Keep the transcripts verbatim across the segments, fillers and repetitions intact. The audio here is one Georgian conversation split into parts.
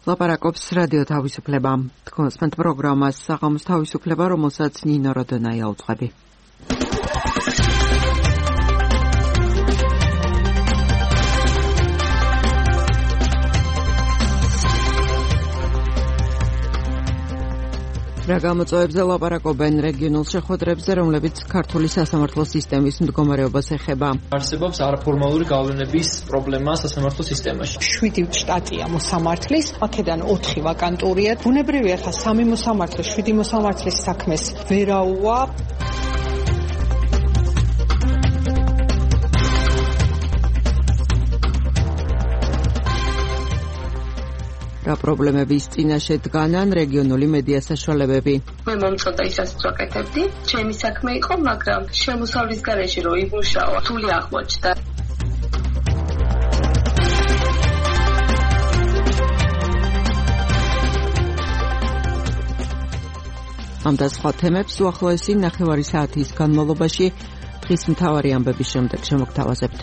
ლაპარაკობს რადიო თავისუფლება. თქვენს პროგრამას საღამოს თავისუფლება, რომელსაც ნინო როდონაია უძღვები. რა გამოწვევებზე ლაპარაკობენ რეგიონულ შეხვედრებზე, რომლებიც ქართული სასამართლო სისტემის მდგომარეობას ეხება. არსებობს არაფორმალური გავლენების პრობლემა სასამართლო სისტემაში. შვიდი შტატია მოსამართლის, აქედან ოთხი ვაკანტურია. ბუნებრივია, ხა სამი მოსამართლე, შვიდი მოსამართლის საქმეს ვერაუა. რა პრობლემების წინაშე დგანან რეგიონული მედია საშუალებები. მე მომწონდა ისაც ვაკეთებდი, ჩემი საქმე იყო, მაგრამ შემოსავლის გარეშე რო იმუშავა, რთული აღმოჩნდა. ამ და სხვა თემებს უახლოესი ნახევარი საათის განმავლობაში დღის მთავარი ამბების შემდეგ შემოგთავაზებთ.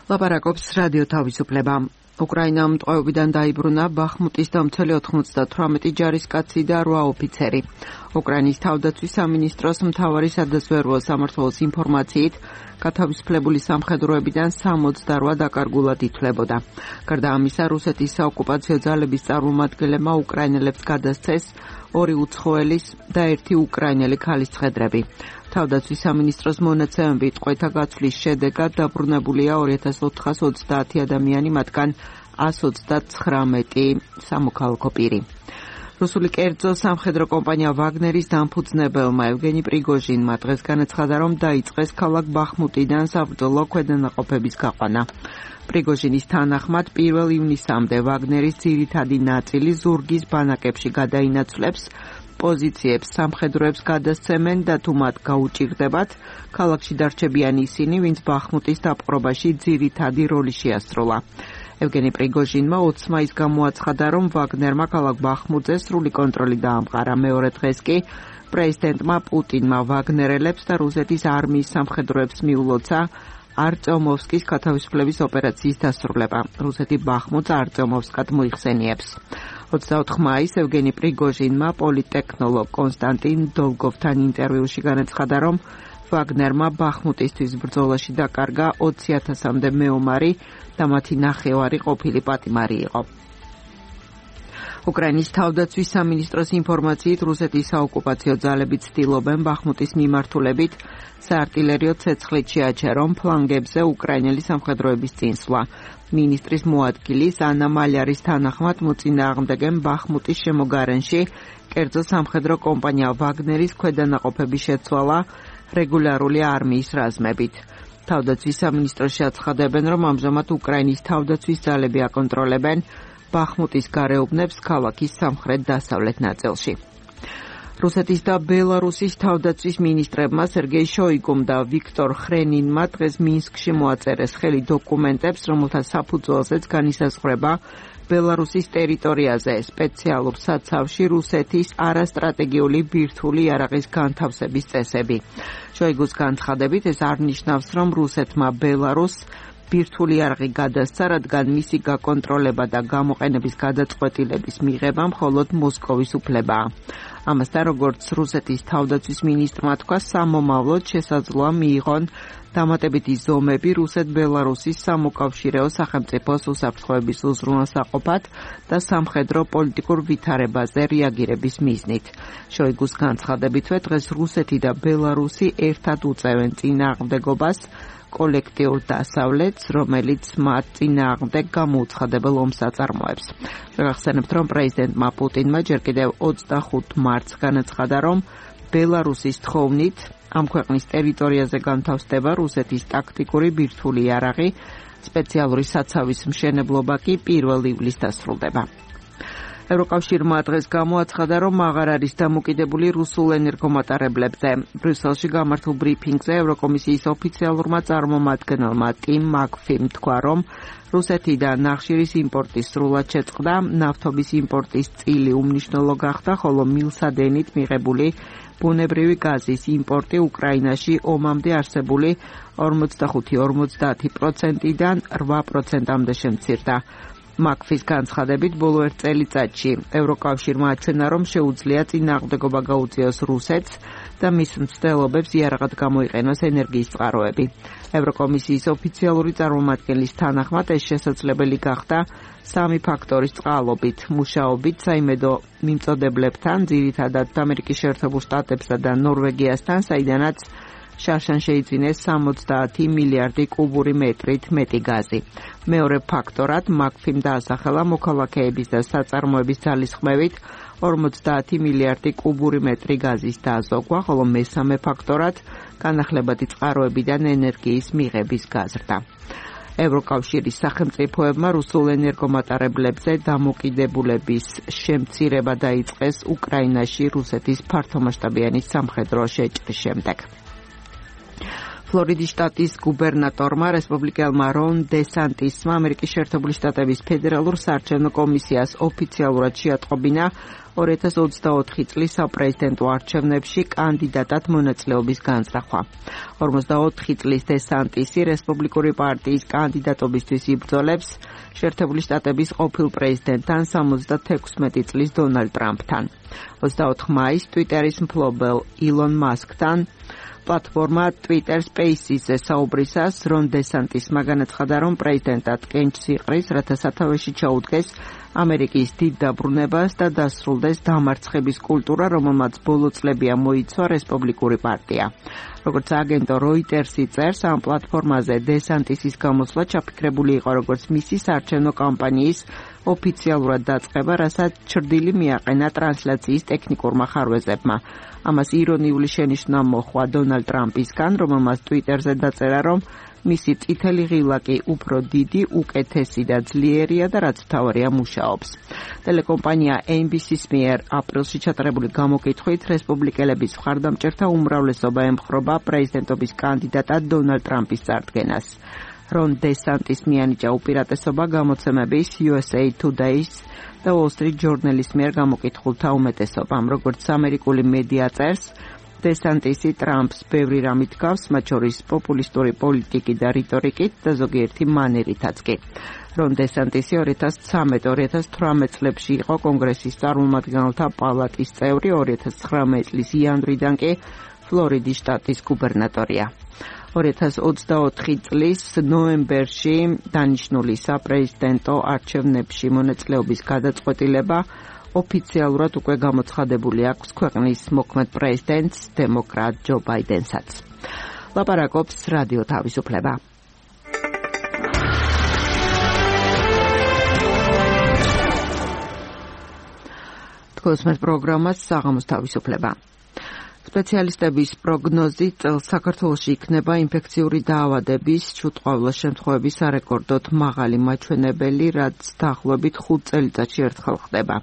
ლაპარაკობს რადიო თავისუფლება. უკრაინამ ტყვეობიდან დაიბრუნა ბახმუტის დამცველი ოთხმოცდათვრამეტი ჯარისკაცი და რვა ოფიცერი. უკრაინის თავდაცვის სამინისტროს მთავარი სადაზვერვო სამმართველოს ინფორმაციით, გათავისუფლებული სამხედროებიდან სამოცდარვა დაკარგულად ითვლებოდა. გარდა ამისა, რუსეთის საოკუპაციო ძალების წარმომადგენლებმა უკრაინელებს გადასცეს ორი უცხოელის და ერთი უკრაინელი ქალის ცხედრები. თავდაცვის სამინისტროს მონაცემებით ტყვეთა გაცვლის შედეგად დაბრუნებულია ორი ათას ოთხას ოცდაათი ადამიანი, მათგან ას ოცდაცხრამეტი სამოქალაქო პირი. რუსული კერძო სამხედრო კომპანია ვაგნერის დამფუძნებელმა ევგენი პრიგოჟინმა დღეს განაცხადა, რომ დაიწყეს ქალაქ ბახმუტიდან საბრძოლო ქვედანაყოფების გაყვანა. პრიგოჟინის თანახმად პირველ ივნისამდე ვაგნერის ძირითადი ნაწილი ზურგის ბანაკებში გადაინაცვლებს, პოზიციებს სამხედროებს გადასცემენ და თუ მათ გაუჭირდებათ, ქალაქში დარჩებიან ისინი, ვინც ბახმუტის დაპყრობაში ძირითადი როლი შეასრულა. ევგენი პრიგოჟინმა ოცს მაისს გამოაცხადა, რომ ვაგნერმა ქალაქ ბახმუტზე სრული კონტროლი დაამყარა. მეორე დღეს კი პრეზიდენტმა პუტინმა ვაგნერელებს და რუსეთის არმიის სამხედროებს მიულოცა არწომოვსკის გათავისუფლების ოპერაციის დასრულება. რუსეთი ბახმუტს არწომოვსკად მოიხსენიებს. ოცდაოთხ მაისს ევგენი პრიგოჟინმა პოლიტექნოლოგ კონსტანტინ დოლგოვთან ინტერვიუში განაცხადა, რომ ვაგნერმა ბახმუტისთვის ბრძოლაში დაკარგა ოცი ათასამდე მეომარი და მათი ნახევარი ყოფილი პატიმარი იყო. უკრაინის თავდაცვის სამინისტროს ინფორმაციით, რუსეთის საოკუპაციო ძალები ცდილობენ ბახმუტის მიმართულებით საარტილერიო ცეცხლით შეაჩერონ ფლანგებზე უკრაინელი სამხედროების წინსვლა. მინისტრის მოადგილის ანა მალარის თანახმად მოწინააღმდეგენ ბახმუტის შემოგარენში კერძო სამხედრო კომპანია ვაგნერის ქვედანაყოფების შეცვალა რეგულარული არმიის რაზმებით. თავდაცვის სამინისტროში აცხადებენ, რომ ამჟამად უკრაინის თავდაცვის ძალები აკონტროლებენ ბახმუტის გარეუბნებს ქალაქის სამხრეთ-დასავლეთ ნაწილში. რუსეთის და ბელარუსის თავდაცვის მინისტრებმა სერგეი შოიგუმ და ვიქტორ ხრენინმა დღეს მინსკში მოაწერეს ხელი დოკუმენტებს, რომელთა საფუძველზეც განისაზღვრება ბელარუსის ტერიტორიაზე სპეციალურ საცავში რუსეთის არასტრატეგიული ბირთვული იარაღის განთავსების წესები. შოიგუს განცხადებით, ეს არნიშნავს, რომ რუსეთმა ბელარუსს ბირთვული იარაღი გადასცა, რადგან მისი გაკონტროლება და გამოყენების გადაწყვეტილების მიღება მხოლოდ მოსკოვის უფლებაა. ამასთან, როგორც რუსეთის თავდაცვის მინისტრმა თქვა, სამომავლოდ შესაძლოა მიიღონ დამატებითი ზომები რუსეთ-ბელარუსის სამოკავშირეო სახელმწიფოს უსაფრთხოების უზრუნველსაყოფად და სამხედრო პოლიტიკურ ვითარებაზე რეაგირების მიზნით. შოიგუს განცხადებითვე, დღეს რუსეთი და ბელარუსი ერთად უწევენ წინააღმდეგობას კოლექტიურ დასავლეთს, რომელიც მათ წინააღმდეგ გამოუცხადებელ ომს აწარმოებს. შევახსენებთ, რომ პრეზიდენტმა პუტინმა ჯერ კიდევ ოცდახუთ მარტს განაცხადა, რომ ბელარუსის თხოვნით ამ ქვეყნის ტერიტორიაზე განთავსდება რუსეთის ტაქტიკური ბირთვული იარაღი, სპეციალური საცავის მშენებლობა კი პირველ ივლისს დასრულდება. ევროკავშირმა დღეს გამოაცხადა, რომ აღარ არის დამოკიდებული რუსულ ენერგომატარებლებზე. ბრიუსელში გამართულ ბრიფინგზე ევროკომისიის ოფიციალურმა წარმომადგენელმა ტიმ მაკფიმ თქვა, რომ რუსეთიდან ნახშირის იმპორტი სრულად შეწყდა, ნავთობის იმპორტის წილი უმნიშვნელო გახდა, ხოლო მილსადენით მიღებული ბუნებრივი გაზის იმპორტი უკრაინაში ომამდე არსებული ორმოცდახუთი ორმოცდაათი პროცენტიდან რვა პროცენტამდე შემცირდა. მაკფის განცხადებით ბოლო ერთ წელიწადში ევროკავშირმა აჩვენა, რომ შეუძლია წინააღმდეგობა გაუწიოს რუსეთს და მის მცდელობებს იარაღად გამოიყენოს ენერგიის წყაროები. ევროკომისიის ოფიციალური წარმომადგენლის თანახმად ეს შესაძლებელი გახდა სამი ფაქტორის წყალობით: მუშაობით საიმედო მიმწოდებლებთან, ძირითადად ამერიკის შეერთებულ შტატებსა და ნორვეგიასთან, საიდანაც შარშან შეიძინეს სამოცდაათი მილიარდი კუბური მეტრით მეტი გაზი. მეორე ფაქტორად მაკფიმ დაასახელა მოქალაქეების და საწარმოების ძალისხმევით ორმოცდაათი მილიარდი კუბური მეტრი გაზის დაზოგვა, ხოლო მესამე ფაქტორად განახლებადი წყაროებიდან ენერგიის მიღების გაზრდა. ევროკავშირის სახელმწიფოებმა რუსულ ენერგომატარებლებზე დამოკიდებულების შემცირება დაიწყეს უკრაინაში რუსეთის ფართომასშტაბიანი სამხედრო შეჭრის შემდეგ. ფლორიდის შტატის გუბერნატორმა რესპუბლიკელმა რონ დესანტისმა ამერიკის შეერთებული შტატების ფედერალურ საარჩევნო კომისიას ოფიციალურად შეატყობინა ორი ათას ოცდაოთხი წლის საპრეზიდენტო არჩევნებში კანდიდატად მონაწილეობის განზრახვა. ორმოცდაოთხი წლის დესანტისი რესპუბლიკური პარტიის კანდიდატობისთვის იბრძოლებს შეერთებული შტატების ყოფილ პრეზიდენტთან სამოცდათექვსმეტი წლის დონალდ ტრამპთან. ოცდაოთხ მაისს ტვიტერის მფლობელ ილონ მასკთან პლატფორმა Twitter Spaces-ზე საუბრისას რონ დესანტისმა განაცხადა, რომ პრეზიდენტად კენჭს იყრის, რათა სათავეში ჩაუდგეს ამერიკის დიდ დაბრუნებას და დასრულდეს დამარცხების კულტურა, რომელმაც ბოლო წლებია მოიცვა რესპუბლიკური პარტია. როგორც აგენტო Reuters-ი წერს, ამ პლატფორმაზე დესანტისის გამოსვლა ჩაფიქრებული იყო როგორც მისი საარჩევნო კამპანიის ოფიციალურად დაწყება, რასაც ჩრდილი მიაყენა ტრანსლაციის ტექნიკურმა ხარვეზებმა. ამას ირონიული შენიშვნა მოჰყვა დონალდ ტრამპისგან, რომელმაც Twitter-ზე დაწერა, რომ მისი წითელი ღილაკი უფრო დიდი, უკეთესი და ძლიერია და რაც მთავარია მუშაობს. ტელეკომპანია ენ ბი სი-ის მიერ აპრილში ჩატარებული გამოკითხვით რესპუბლიკელების მხარდამჭერთა უმრავლესობა ემხრობა პრეზიდენტობის კანდიდატად დონალდ ტრამპის წარდგენას. რონ დესანტის მიანიჭა უპირატესობა გამოცემების იუ ეს ეი Today-ს და Wall Street Journal-ის მიერ გამოკითხულთა უმეტესობამ. როგორც ამერიკული მედია წერს, დესანტისი ტრამპს ბევრი რამით გავს, მათ შორის პოპულისტური პოლიტიკით და რიტორიკით და ზოგიერთი მანერითაც კი. რონ დესანტისი ორი ათას ცხრამეტ ორი ათას თვრამეტ წლებში იყო კონგრესის წარმომადგენელთა პალატის წევრი, ორი ათას ცხრამეტ წლის იანვრიდან კი ფლორიდის შტატის გუბერნატორია. ორი ათას ოცდაოთხი წლის ნოემბერში დანიშნული საპრეზიდენტო არჩევნებში მონაწილეობის გადაწყვეტილება ოფიციალურად უკვე გამოცხადებული აქვს ქვეყნის მოქმედ პრეზიდენტს დემოკრატ ჯო ბაიდენსაც. ლაპარაკობს რადიო თავისუფლება. თქვენს პროგრამას საღამოს თავისუფლება. სპეციალისტების პროგნოზით წელს საქართველოში იქნება ინფექციური დაავადების ჩუტყვავილას შემთხვევების სარეკორდოდ მაღალი მაჩვენებელი, რაც დაახლოებით ხუთ წელიწადში ერთხელ ხდება.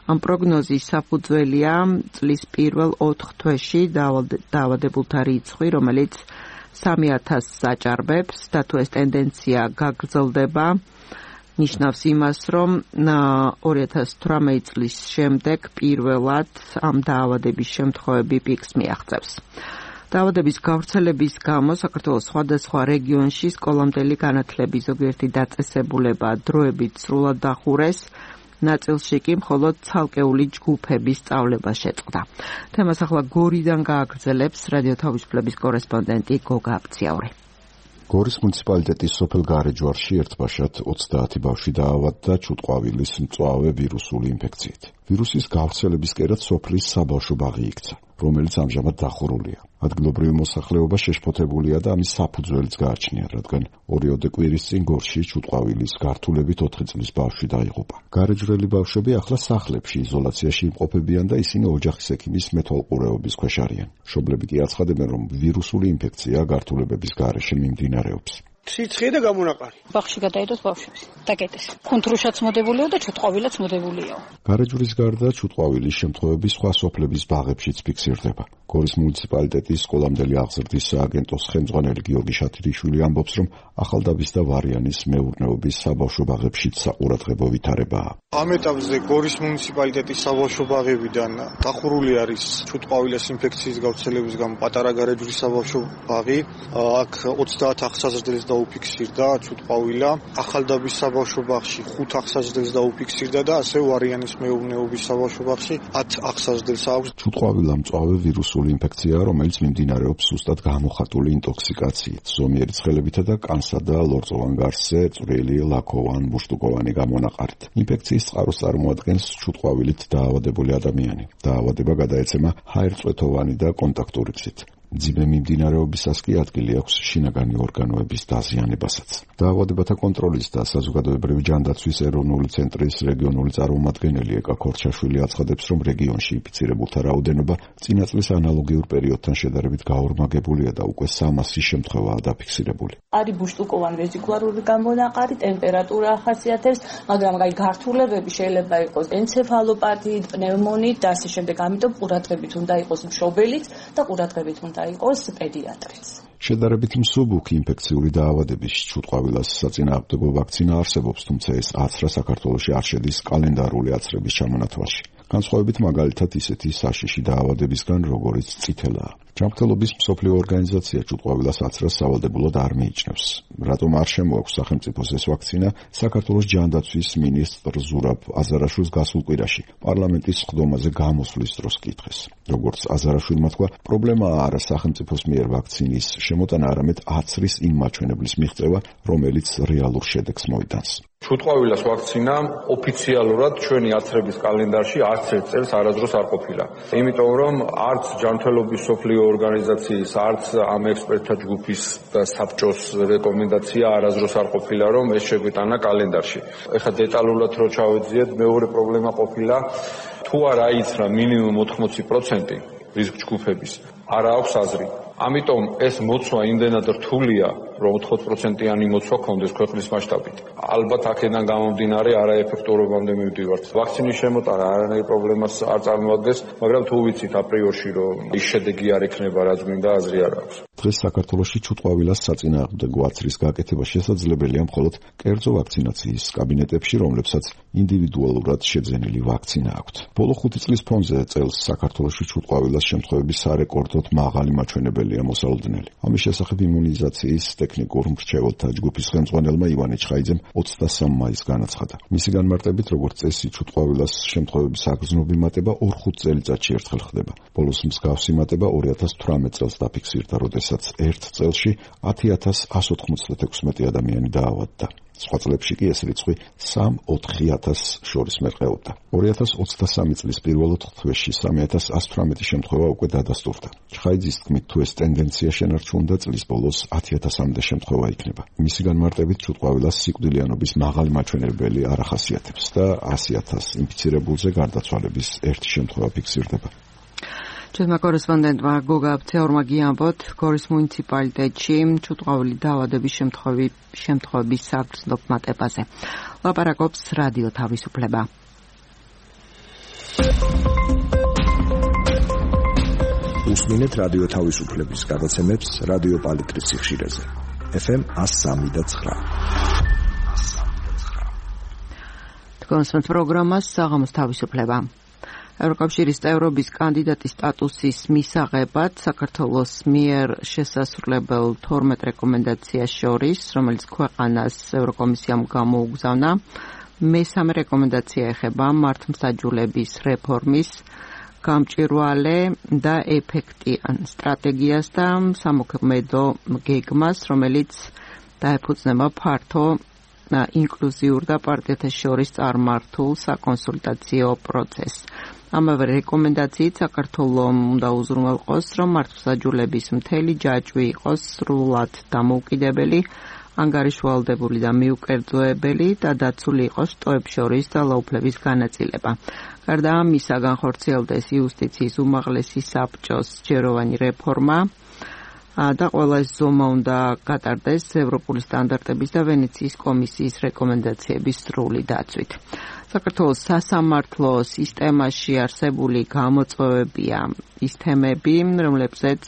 ამ პროგნოზის საფუძველია წლის პირველ ოთხ თვეში დაავადებულთა რიცხვი, რომელიც სამი ათასს აჭარბებს და თუ ეს ტენდენცია გაგრძელდება, ნიშნავს იმას, რომ ორი ათას თვრამეტ წლის შემდეგ პირველად ამ დაავადების შემთხვევები პიკს მიაღწევს. დაავადების გავრცელების გამო საქართველოს სხვადასხვა რეგიონში სკოლამდელი განათლების ზოგიერთი დაწესებულება დროებით სრულად დახურეს, ნაწილში კი მხოლოდ ცალკეული ჯგუფების სწავლება შეწყდა. თემას ახლა გორიდან გააგრძელებს რადიო თავისუფლების კორესპონდენტი გოგა აბციაური. გორის მუნიციპალიტეტის სოფელ გარეჯვარში ერთბაშად ოცდაათი ბავშვი დაავადდა ჩუტყვავილის მწვავე ვირუსული ინფექციით. ვირუსის გავრცელების კერად სოფლის საბავშვო ბაღი იქცა, რომელიც ამჟამად დახურულია. ადგილობრივი მოსახლეობა შეშფოთებულია და ამის საფუძველიც გააჩნია, რადგან ორიოდე კვირის წინ გორში ჩუტყვავილის გართულებით ოთხი წლის ბავშვი დაიღუპა. გარეჯვრელი ბავშვები ახლა სახლებში იზოლაციაში იმყოფებიან და ისინი ოჯახის ექიმის მეთვალყურეობის ქვეშ არიან. მშობლები კი აცხადებენ, რომ ვირუსული ინფექცია გართულებების გარეშე მიმდინარეობს. ციცხე და გამონაყარი. ბაღში გადაიდოს ბავშვებს. დაკეტეს. ხუნთრუშაც მოდებულია და ჩუტყვავილაც მოდებულია. გარეჯვრის გარდა ჩუტყვავილის შემთხვევები სხვა სოფლების ბაღებშიც ფიქსირდება. გორის მუნიციპალიტეტის სკოლამდელი აღზრდის სააგენტოს ხელმძღვანელი გიორგი შათირიშვილი ამბობს, რომ ახალდაბის და ვარიანის მეურნეობის საბავშვო ბაღებშიც საყურადღებო ვითარებაა. ამ ეტაპზე გორის მუნიციპალიტეტის საბავშვო ბაღებიდან დახურული არის ჩუტყვავილის ინფექციის გავრცელების გამო პატარა გარეჯვრის საბავშვო ბაღი. აქ ოცდაათ აღსაზრდელს დაუფიქსირდა ჩუტყვავილა. ახალდაბის საბავშვო ბაღში ხუთ აღსაზრდელს დაუფიქსირდა და ასევე ვარიანის მეურნეობის საბავშვო ბაღში ათ აღსაზრდელს აქვს. ჩუტყვავილა მწვავე ვირუსული ინფექციაა, რომელიც მიმდინარეობს სუსტად გამოხატული ინტოქსიკაციით, ზომიერი ცხელებითა და კანსა და ლორწოვან გარსზე წვრილი, ლაქოვან, მუშტუკოვანი გამონაყარით. ინფექციის წყაროს წარმოადგენს ჩუტყვავილით დაავადებული ადამიანი. დაავადება გადაეცემა ჰაერწვეთოვანი და კონტაქტური გზით. ძიმე მიმდინარეობისას კი ადგილი აქვს შინაგანი ორგანოების დაზიანებასაც. დაავადებათა კონტროლის და საზოგადოებრივი ჯანდაცვის ეროვნული ცენტრის რეგიონული წარმომადგენელი ეკა ქორჩაშვილი აცხადებს, რომ რეგიონში ინფიცირებულთა რაოდენობა წინა წლის ანალოგიურ პერიოდთან შედარებით გაორმაგებულია და უკვე სამასი შემთხვევაა დაფიქსირებული. არის ბუშტუკოვანი ვეზიკულარული გამონაყარი, ტემპერატურა ახასიათებს, მაგრამ აი გართულებები შეიძლება იყოს ენცეფალოპათიით, პნევმონით და ასე შემდეგ. ამიტომ ყურადღებით უნდა იყოს მშობელიც და ყურადღებით უნდა იყოს პედიატრიც. შედარებით მსუბუქი ინფექციური დაავადების ჩუტყვავილას საწინააღმდეგო ვაქცინა არსებობს, თუმცა ეს აცრა საქართველოში არ შედის კალენდარული აცრების ჩამონათვალში. განსხვავებით მაგალითად ისეთი საშიში დაავადებისგან, როგორიც წითელაა. ჯანმრთელობის მსოფლიო ორგანიზაცია ჩუტყვავილას აცრას სავალდებულოდ არ მიიჩნევს. რატომ არ შემოაქვს სახელმწიფოს ეს ვაქცინა? საქართველოს ჯანდაცვის მინისტრ ზურაბ აზარაშვილს გასულ კვირაში პარლამენტის სხდომაზე გამოსვლის დროს კითხეს. როგორც აზარაშვილმა თქვა, პრობლემაა არა სახელმწიფოს მიერ ვაქცინის შემოტანა, არამედ აცრის იმ მაჩვენებლის მიღწევა, რომელიც რეალურ შედეგს მოიტანს. ჩუტყვავილას ვაქცინა ოფიციალურად ჩვენი აცრების კალენდარში არც ერთ წელს არასდროს არ ყოფილა. იმიტომ რომ არც ჯანმრთელობის მსოფლიო ორგანიზაციის, არც ამ ექსპერტთა ჯგუფის და საბჭოს რეკომენდაცია არასდროს არ ყოფილა, რომ ეს შეგვიტანა კალენდარში. ეხლა დეტალურად რო ჩავეძიეთ, მეორე პრობლემა ყოფილა, თუ არ აიცრა მინიმუმ ოთხმოცი პროცენტი რისკ ჯგუფების, არ აქვს აზრი. ამიტომ ეს მოცვა იმდენად რთულია, რომ ოთხმოცი პროცენტიანი მოცვა კონდეს ქვეყნის მასშტაბით. ალბათ აქედან გამომდინარე არაეფექტურობამდე მივდივართ. ვაქცინის შემოტანა არანაირ პრობლემას არ წარმოადგენს, მაგრამ თუ ვიცით აპრიორში, რომ ის შედეგი არ ექნება, რაც მინდა, აზრი არ აქვს. დღეს საქართველოში ჩუტყვავილას საწინააღმდეგო აცრის გაკეთება შესაძლებელია მხოლოდ კერძო ვაქცინაციის კაბინეტებში, რომლებსაც ინდივიდუალურად შეძენილი ვაქცინა აქვთ. ბოლო ხუთი წლის ფონზე წელს საქართველოში ჩუტყვავილას შემთხვევების სარეკორდოდ მაღალი მაჩვენებელია მოსალოდნელი. ამის შესახებ იმუნიზაციის ტექნიკურ მრჩეველთა ჯგუფის ხელმძღვანელმა ივანე ჩხაიძემ ოცდასამ მაისს განაცხადა. მისი განმარტებით, როგორც წესი, ჩუტყვავილას შემთხვევების აგზნობი მატება ორ-ხუთ წელიწადში ერთხელ ხდება. ბოლოს მსგავსი მატება ორი ათას თვრამეტ წელს დაფიქსირდა, როდესაც ერთ წელში ათი ათას ასი ოცდაექვსმეტი ადამიანი დაავადდა. სხვა წლებში კი ეს რიცხვი სამ-ოთხი ათასს შორის მერყეობდა. ორი ათას ოცდასამი წლის პირველ ოთხ თვეში სამი ათას ასი თვრამეტი შემთხვევა უკვე დადასტურდა. ჩხაიძის თქმით, თუ ეს ტენდენცია შენარჩუნდა, წლის ბოლოს ათი ათასამდე შემთხვევა იქნება. მისი განმარტებით, ჩუტყვავილას სიკვდილიანობის მაღალი მაჩვენებელი არ ახასიათებს და ასი ათას ინფიცირებულზე გარდაცვალების ერთი შემთხვევა ფიქსირდება. ჩვენმა კორესპონდენტმა გოგა აბცეორმა გიამბოთ, გორის მუნიციპალიტეტში ჩუტყვავილი დაავადების შემთხვევების საგრძნობ მატებაზე. ლაპარაკობს რადიო თავისუფლება. უსმინეთ რადიო თავისუფლების გადაცემებს რადიო პალიტრის სიხშირეზე. ეფ ემ εκατო სამი და ცხრა. თქვენს პროგრამას საღამოს თავისუფლება. ევროკავშირის წევრობის კანდიდატის სტატუსის მისაღებად საქართველოს მიერ შესასრულებელ თორმეტ რეკომენდაციას შორის, რომელიც ქვეყანას ევროკომისიამ გამოუგზავნა, მესამე რეკომენდაცია ეხება მართლმსაჯულების რეფორმის გამჭვირვალე და ეფექტიან სტრატეგიას და სამოქმედო გეგმას, რომელიც დაეფუძნება ფართო ინკლუზიურ და პარტიათა შორის წარმართულ საკონსულტაციო პროცესს. ამავე რეკომენდაციით საქართველომ უნდა უზრუნველყოს, რომ მართლმსაჯულების მთელი ჯაჭვი იყოს სრულად დამოუკიდებელი, ანგარიშვალდებული და მიუკერძოებელი და დაცული იყოს შტოებს შორის და ლაუფლების განაწილება. გარდა ამისა, განხორციელდეს იუსტიციის უმაღლესი საბჭოს ჯეროვანი რეფორმა, და ყველა ეს ზომა უნდა გატარდეს ევროპული სტანდარტების და ვენეციის კომისიის რეკომენდაციების სრული დაცვით. საქართველოს სასამართლო სისტემაში არსებული გამოწვევებია ის თემები, რომლებზეც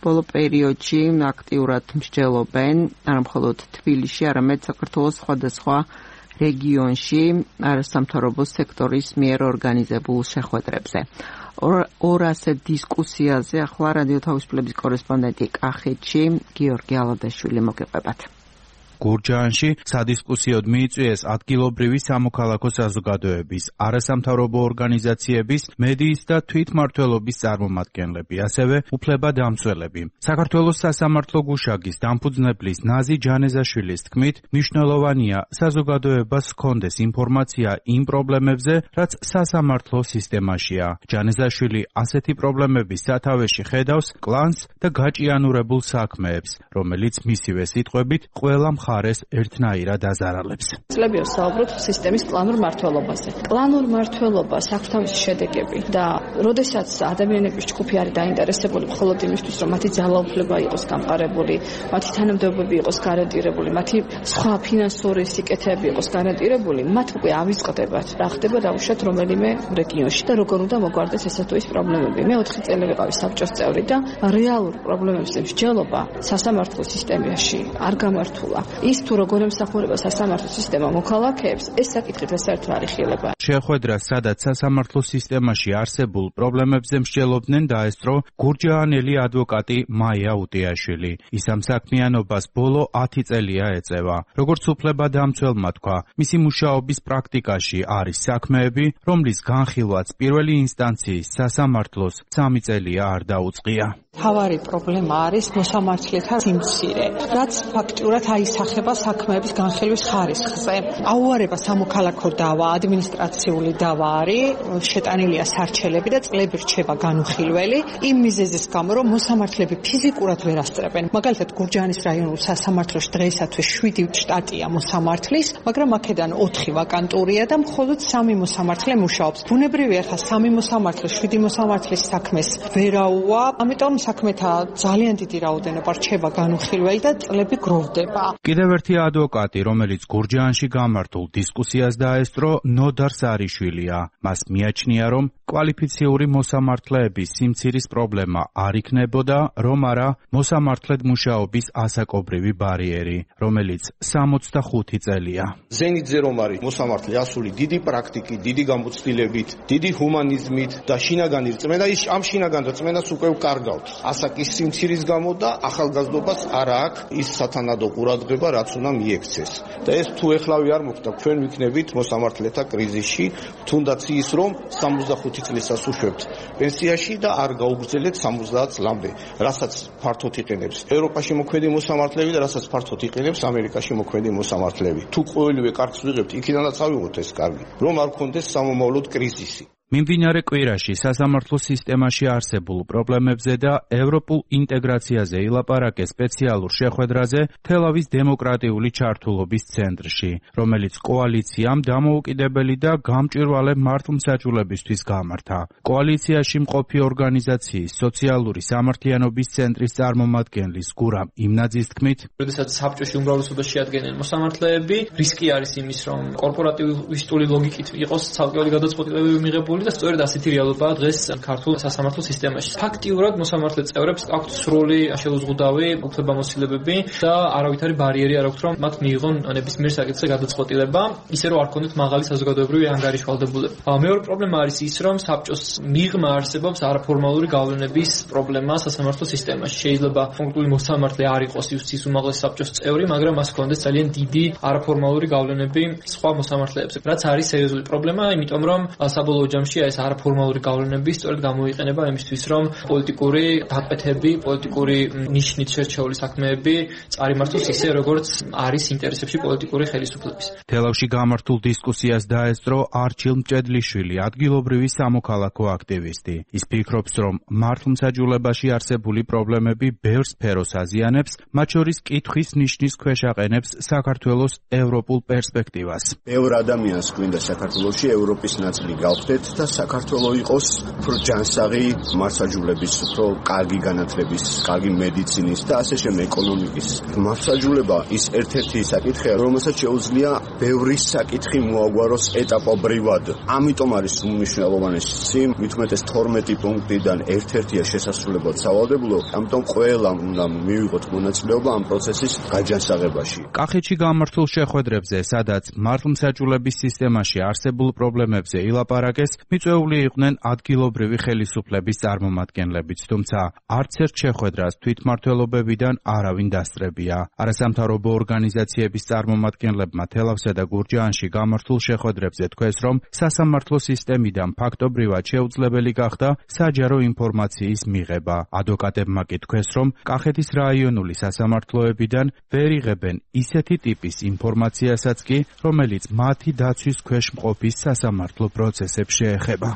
ბოლო პერიოდში აქტიურად მსჯელობენ არა მხოლოდ თბილისში, არამედ საქართველოს სხვადასხვა რეგიონში არასამთავრობო სექტორის მიერ ორგანიზებულ შეხვედრებზე. ორ ასეთ დისკუსიაზე ახლა რადიო თავისუფლების კორესპონდენტი კახეთში გიორგი ალადაშვილი მოგეყვებათ. გურჯაანში სადისკუსიოდ მიიწვიეს ადგილობრივი სამოქალაქო საზოგადოების, არასამთავრობო ორგანიზაციების, მედიის და თვითმმართველობის წარმომადგენლები, ასევე უფლებადამცველები. საქართველოს სასამართლო გუშაგის დამფუძნებლის ნაზი ჯანეზაშვილის თქმით, მნიშვნელოვანია საზოგადოებას ჰქონდეს ინფორმაცია იმ პრობლემებზე, რაც სასამართლო სისტემაშია. ჯანეზაშვილი ასეთი პრობლემების სათავეში ხედავს კლანს და გაჭიანურებულ საქმეებს, რომელიც მისივე სიტყვებით ყველა მხარეს ერთნაირად აზარალებს. წლები ვსაუბრობთ სისტემის კლანურ მმართველობაზე. კლანურ მმართველობას აქვს თავისი შედეგები და როდესაც ადამიანების ჯგუფი არის დაინტერესებული მხოლოდ იმისთვის, რომ მათი ძალაუფლება იყოს გამყარებული, მათი თანამდებობები იყოს გარანტირებული, მათი სხვა ფინანსური სიკეთეები იყოს გარანტირებული, მათ უკვე ავიწყდებათ რა ხდება დაუშვათ რომელიმე რეგიონში და როგორ უნდა მოგვარდეს ესა თუ ის პრობლემები. მე ოთხი წელი ვიყავი საბჭოს წევრი და რეალურ პრობლემებზე მსჯელობა სასამართლო სისტემაში არ გამართულა. ის თუ როგორ ემსახურება სასამართლო სისტემა მოქალაქეებს, ეს საკითხით საერთოდ არ იხილება. შეხვედრა, სადაც სასამართლო სისტემაში არსებულ პრობლემებზე მსჯელობდნენ, დაესწრო გურჯაანელი ადვოკატი მაია უტიაშვილი. ის ამ საქმიანობას ბოლო ათი წელია ეწევა. როგორც უფლებადამცველმა თქვა, მისი მუშაობის პრაქტიკაში არის საქმეები, რომლის განხილვაც პირველი ინსტანციის სასამართლოს სამი წელია არ დაუწყია. თავარი პრობლემა არის მოსამართლეთა სიმცირე, რაც ფაქტურად აისახება საქმეების განხილვის ხარისხზე. აუარება სამოქალაქო დავა, ადმინისტრაციული დავა არის, შეტანილია სარჩელები და წლები რჩება განუხილველი, იმ მიზეზის გამო, რომ მოსამართლეები ფიზიკურად ვერ ასწრებენ. მაგალითად, გურჯაანის რაიონულ სასამართლოში დღეისათვის შვიდი შტატია მოსამართლის, მაგრამ აქედან ოთხი ვაკანტურია და მხოლოდ სამი მოსამართლე მუშაობს. ბუნებრივია, ხა სამი მოსამართლე შვიდი მოსამართლის საქმეს ვერაუა, ამიტომ საქმეთა ძალიან დიდი რაოდენობა რჩება განუხილველი და წლები გროვდება. კიდევ ერთი ადვოკატი, რომელიც გურჯაანში გამართულ დისკუსიას დაესწრო, ნოდარ სარიშვილია. მას მიაჩნია, რომ კვალიფიციური მოსამართლეების სიმცირის პრობლემა არ იქნებოდა, რომ არა მოსამართლედ მუშაობის ასაკობრივი ბარიერი, რომელიც სამოცდახუთი წელია. ზენიტზე რომ არის მოსამართლე ასული დიდი პრაქტიკით, დიდი გამოცდილებით, დიდი ჰუმანიზმით და შინაგანი რწმენა, ის ამ შინაგან რწმენას უკვე ვკარგავთ. ასაკის სიმცირის გამო და ახალგაზრდობას არ აქვს ის სათანადო ყურადღება, რაც უნდა მიექცეს. და ეს თუ ეხლავე არ მოხდა, ჩვენ ვიქნებით მოსამართლეთა კრიზისში, თუნდაც ის რომ სამოცდახუთი წლისას უშვებთ პენსიაში და არ გაუგრძელეთ სამოცდაათ წლამდე, რასაც ფართოდ იყენებს ევროპაში მოქმედი მოსამართლეები და რასაც ფართოდ იყენებს ამერიკაში მოქმედი მოსამართლეები. თუ ყოველივე კარგს ვიღებთ, იქიდანაც ავიღოთ ეს კარგი, რომ არ გქონდეს სამომავლოდ კრიზისი. მიმდინარე კვირაში სასამართლო სისტემაში არსებულ პრობლემებზე და ევროპულ ინტეგრაციაზე ილაპარაკეს სპეციალურ შეხვედრაზე თელავის დემოკრატიული ჩართულობის ცენტრში, რომელიც კოალიციამ დამოუკიდებელი და გამჭვირვალე მართლმსაჯულებისთვის გამართა. კოალიციაში მყოფი ორგანიზაციის სოციალური სამართლიანობის ცენტრის წარმომადგენლის გურამ იმნაძის თქმით, როდესაც საბჭოში უმრავლესობას შეადგენენ მოსამართლეები, რისკი არის იმის, რომ კორპორატივისტული ლოგიკით იყოს ცალკეული გადაწყვეტილებები მიღებული და სწორედ ასეთი რეალობაა დღეს ქართულ სასამართლო სისტემაში. ფაქტიურად მოსამართლე წევრებს აქვთ სრული შეუზღუდავი უფლებამოსილებები და არავითარი ბარიერი არ აქვთ, რომ მათ მიიღონ ნებისმიერ საკითხზე გადაწყვეტილება, ისე რომ არ ქონდეთ მაღალი საზოგადოებრივი ანგარიშვალდებულება. მეორე პრობლემა არის ის, რომ საბჭოს მიღმა არსებობს არაფორმალური გავლენების პრობლემა სასამართლო სისტემაში. შეიძლება კონკრეტული მოსამართლე არ იყოს იუსტის უმაღლესი საბჭოს წევრი, მაგრამ მას ჰქონდეს ძალიან დიდი არაფორმალური გავლენები სხვა მოსამართლეებზე. რაც არის სერიოზული პრობლემა, იმიტომ რომ საბოლოო ჯამში ეს არაფორმალური გავლენები სწორედ გამოიყენება იმისთვის, რომ პოლიტიკური დაკვეთები, პოლიტიკური ნიშნით შერჩეული საქმეები წარიმართოს ისე, როგორც არის ინტერესებში პოლიტიკური ხელისუფლების. თელავში გამართულ დისკუსიას დაესწრო არჩილ მჭედლიშვილი, ადგილობრივი სამოქალაქო აქტივისტი. ის ფიქრობს, რომ მართლმსაჯულებაში არსებული პრობლემები ბევრ სფეროს აზიანებს, მათ შორის კითხვის ნიშნის ქვეშ აყენებს საქართველოს ევროპულ პერსპექტივას. ბევრ ადამიანს გვინდა საქართველოში ევროპის ნაწილი გავხდეთ და საქართველოს იყოს უფრო ჯანსაღი მართლმსაჯულების, უფრო კარგი განათლების, კარგი მედიცინის და ასე შემდეგ ეკონომიკის. მართლმსაჯულება ის ერთ-ერთი საკითხია, რომელსაც შეუძლია ბევრი საკითხი მოაგვაროს ეტაპობრივად. ამიტომ არის უმნიშვნელოვანესი, მით უმეტეს თორმეტი პუნქტიდან ერთ-ერთია შესასრულებლად სავალდებულო, ამიტომ ყველამ უნდა მივიღოთ მონაწილეობა ამ პროცესის გაჯანსაღებაში. კახეთში გამართულ შეხვედრებზე, სადაც მართლმსაჯულების სისტემაში არსებულ პრობლემებზე ილაპარაკეს, მიწვეული იყვნენ ადგილობრივი ხელისუფლების წარმომადგენლებიც, თუმცა არც ერთ შეხვედრას თვითმმართველობებიდან არავინ დასწრებია. არასამთავრობო ორგანიზაციების წარმომადგენლებმა თელავსა და გურჯაანში გამართულ შეხვედრებზე თქვეს, რომ სასამართლო სისტემიდან ფაქტობრივად შეუძლებელი გახდა საჯარო ინფორმაციის მიღება. ადვოკატებმა კი თქვეს, რომ კახეთის რაიონული სასამართლოებიდან ვერ იღებენ ისეთი ტიპის ინფორმაციასაც კი, რომელიც მათი დაცვის ქვეშ მყოფის სასამართლო პროცესებს შეეხება.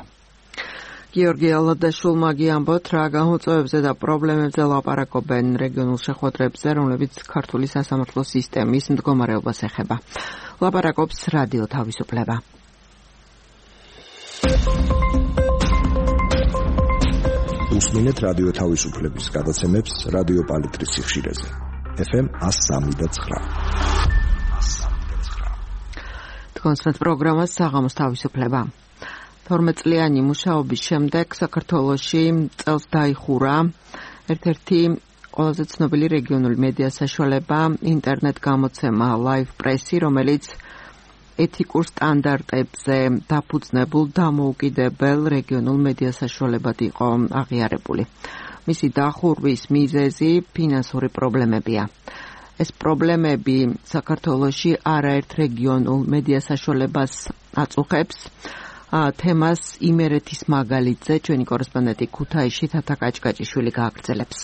გიორგი ალადაშვილმა გიამბოთ, რა გამოწვევებზე და პრობლემებზე ლაპარაკობენ რეგიონულ შეხვედრებზე, რომლებიც ქართული სასამართლო სისტემის მდგომარეობას ეხება. ლაპარაკობს რადიო თავისუფლება. უსმინეთ რადიო თავისუფლების გადაცემებს რადიო პალიტრის სიხშირეზე. ეფ ემ one oh three point nine. თქვენს პროგრამას საღამოს თავისუფლება. თორმეტ წლიანი მუშაობის შემდეგ საქართველოში წელს დაიხურა ერთ-ერთი ყველაზე ცნობილი რეგიონული მედია საშუალება ინტერნეტ გამოცემა Live Press-ი, რომელიც ეთიკურ სტანდარტებზე დაფუძნებულ დამოუკიდებელ რეგიონულ მედია საშუალებად იყო აღიარებული. მისი დახურვის მიზეზი ფინანსური პრობლემებია. ეს პრობლემები საქართველოში არაერთ რეგიონულ მედია საშუალებას აწუხებს. თემას იმერეთის მაგალითზე ჩვენი კორესპონდენტი ქუთაისში თათა კაჭკაჭიშვილი გააგრძელებს.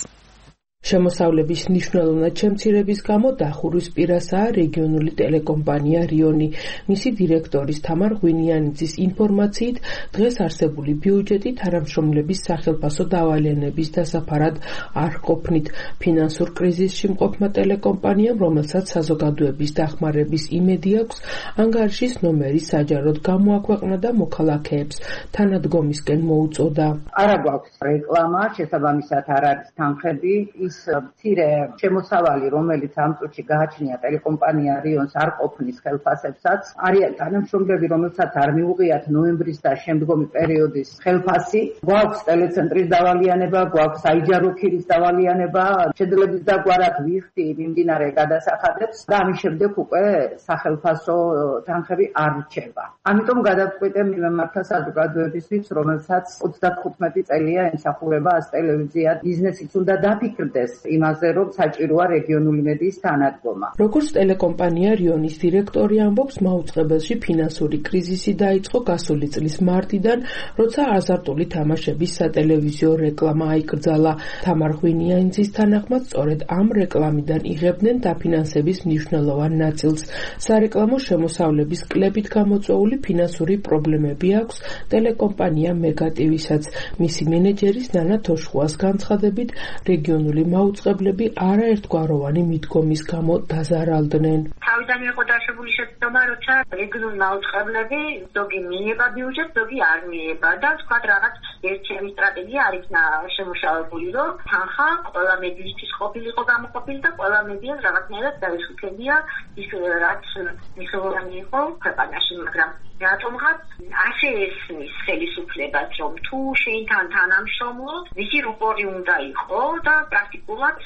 შემოსავლების მნიშვნელოვნად შემცირების გამო დახურვის პირასაა რეგიონული ტელეკომპანია რიონი. მისი დირექტორის თამარ ღვინიანიძის ინფორმაციით, დღეს არსებული ბიუჯეტი თანამშრომლების სახელფასო დავალიანების დასაფარად არ ყოფნით. ფინანსურ კრიზისში მყოფმა ტელეკომპანიამ, რომელსაც საზოგადოების დახმარების იმედი აქვს, ანგარიშის ნომერი საჯაროდ გამოაქვეყნა და მოქალაქეებს თანადგომისკენ მოუწოდა. არა გვაქვს რეკლამა, შესაბამისად არ არის თანხები. მცირე შემოსავალი, რომელიც ამ წუთში გააჩნია ტელეკომპანია რიონს არ ყოფნის ხელფასებსაც, არიან თანამშრომლები, რომელსაც არ მიუღიათ ნოემბრის და შემდგომი პერიოდის ხელფასი. გვაქვს ტელეცენტრის დავალიანება, გვაქვს საიჯარო ქირის დავალიანება, შედლების დაგვარად ვიხდი მიმდინარე გადასახადებს და ამის შემდეგ უკვე სახელფასო თანხები არ რჩება. ამიტომ გადავწყვიტე მიმართა საზოგადოებისთვის, რომელსაც ოცდახუთმეტი წელია ემსახურება ას ტელევიზია, ბიზნესიც უნდა დაფიქრდეს იმაზე, რომ საჭიროა რეგიონული მედიის თანადგომა. როგორც ტელეკომპანია რიონის დირექტორი ამბობს, მაუწყებელში ფინანსური კრიზისი დაიწყო გასული წლის მარტიდან, როცა აზარტული თამაშების სატელევიზიო რეკლამა აიკრძალა. თამარ ღვინიანიძის თანახმად, სწორედ ამ რეკლამიდან იღებდნენ დაფინანსების მნიშვნელოვან ნაწილს. სარეკლამო შემოსავლების კლებით გამოწვეული ფინანსური პრობლემები აქვს ტელეკომპანია მეგატივისაც. მისი მენეჯერის ნანა თოშხუას განცხადებით, რეგიონული მაუწყებლები არაერთგვაროვანი მიდგომის გამო დაზარალდნენ. თავიდან იყო დაშვებული შეცდომა, როცა რეგიონული მაუწყებლები ზოგი მიიღება ბიუჯეტს, ზოგი არ მიიღება და თქვა რაღაც ერთიანი სტრატეგია არ იქნა შემუშავებული, რომ თანხა ყველა მედიისთვის ყოფილიყო გამოყოფილი და ყველა მედიას რაღაცნაირად დაეშუქებია ის რაც მნიშვნელოვანი იყო ქვეყანაში, მაგრამ რატომღაც ასე ესმის ხელისუფლებას, რომ თუ შეინთან თანამშრომლობ, ვისი რუპორი უნდა იყო და პრაქტიკულად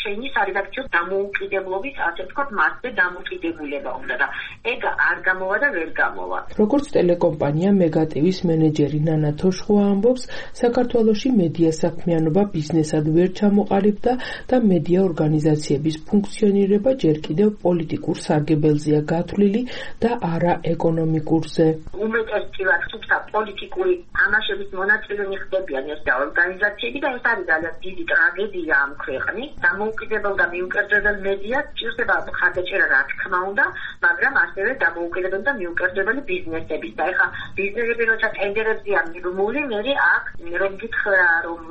შენი სარედაქციო დამოუკიდებლობის, ასე ვთქვათ, მასზე დამოკიდებულება უნდა და ეგ არ გამოვა და ვერ გამოვა. როგორც ტელეკომპანია მეგატივის მენეჯერი ნანა თოშხუა ამბობს, საქართველოში მედია საქმიანობა ბიზნესად ვერ ჩამოყალიბდა და მედია ორგანიზაციების ფუნქციონირება ჯერ კიდევ პოლიტიკურ სარგებელზეა გათვლილი და არა ეკონომიკურზე. უმეტესწილად თუმცა პოლიტიკური თამაშების მონაწილენი ხდებიან ეს და ორგანიზაციები და ეს არის ძალიან დიდი ტრაგედია ამ ამ ქვეყნის დამოუკიდებელ და მიუკერდებელ მედიას ჭირდება ხარდაჭერა რა თქმა უნდა, მაგრამ ასევე დამოუკიდებელ და მიუკერდებელი ბიზნესების და ეხა ბიზნესები როცა ტენდერებზეა მიბმული, მე აქ რომ გითხრა რომ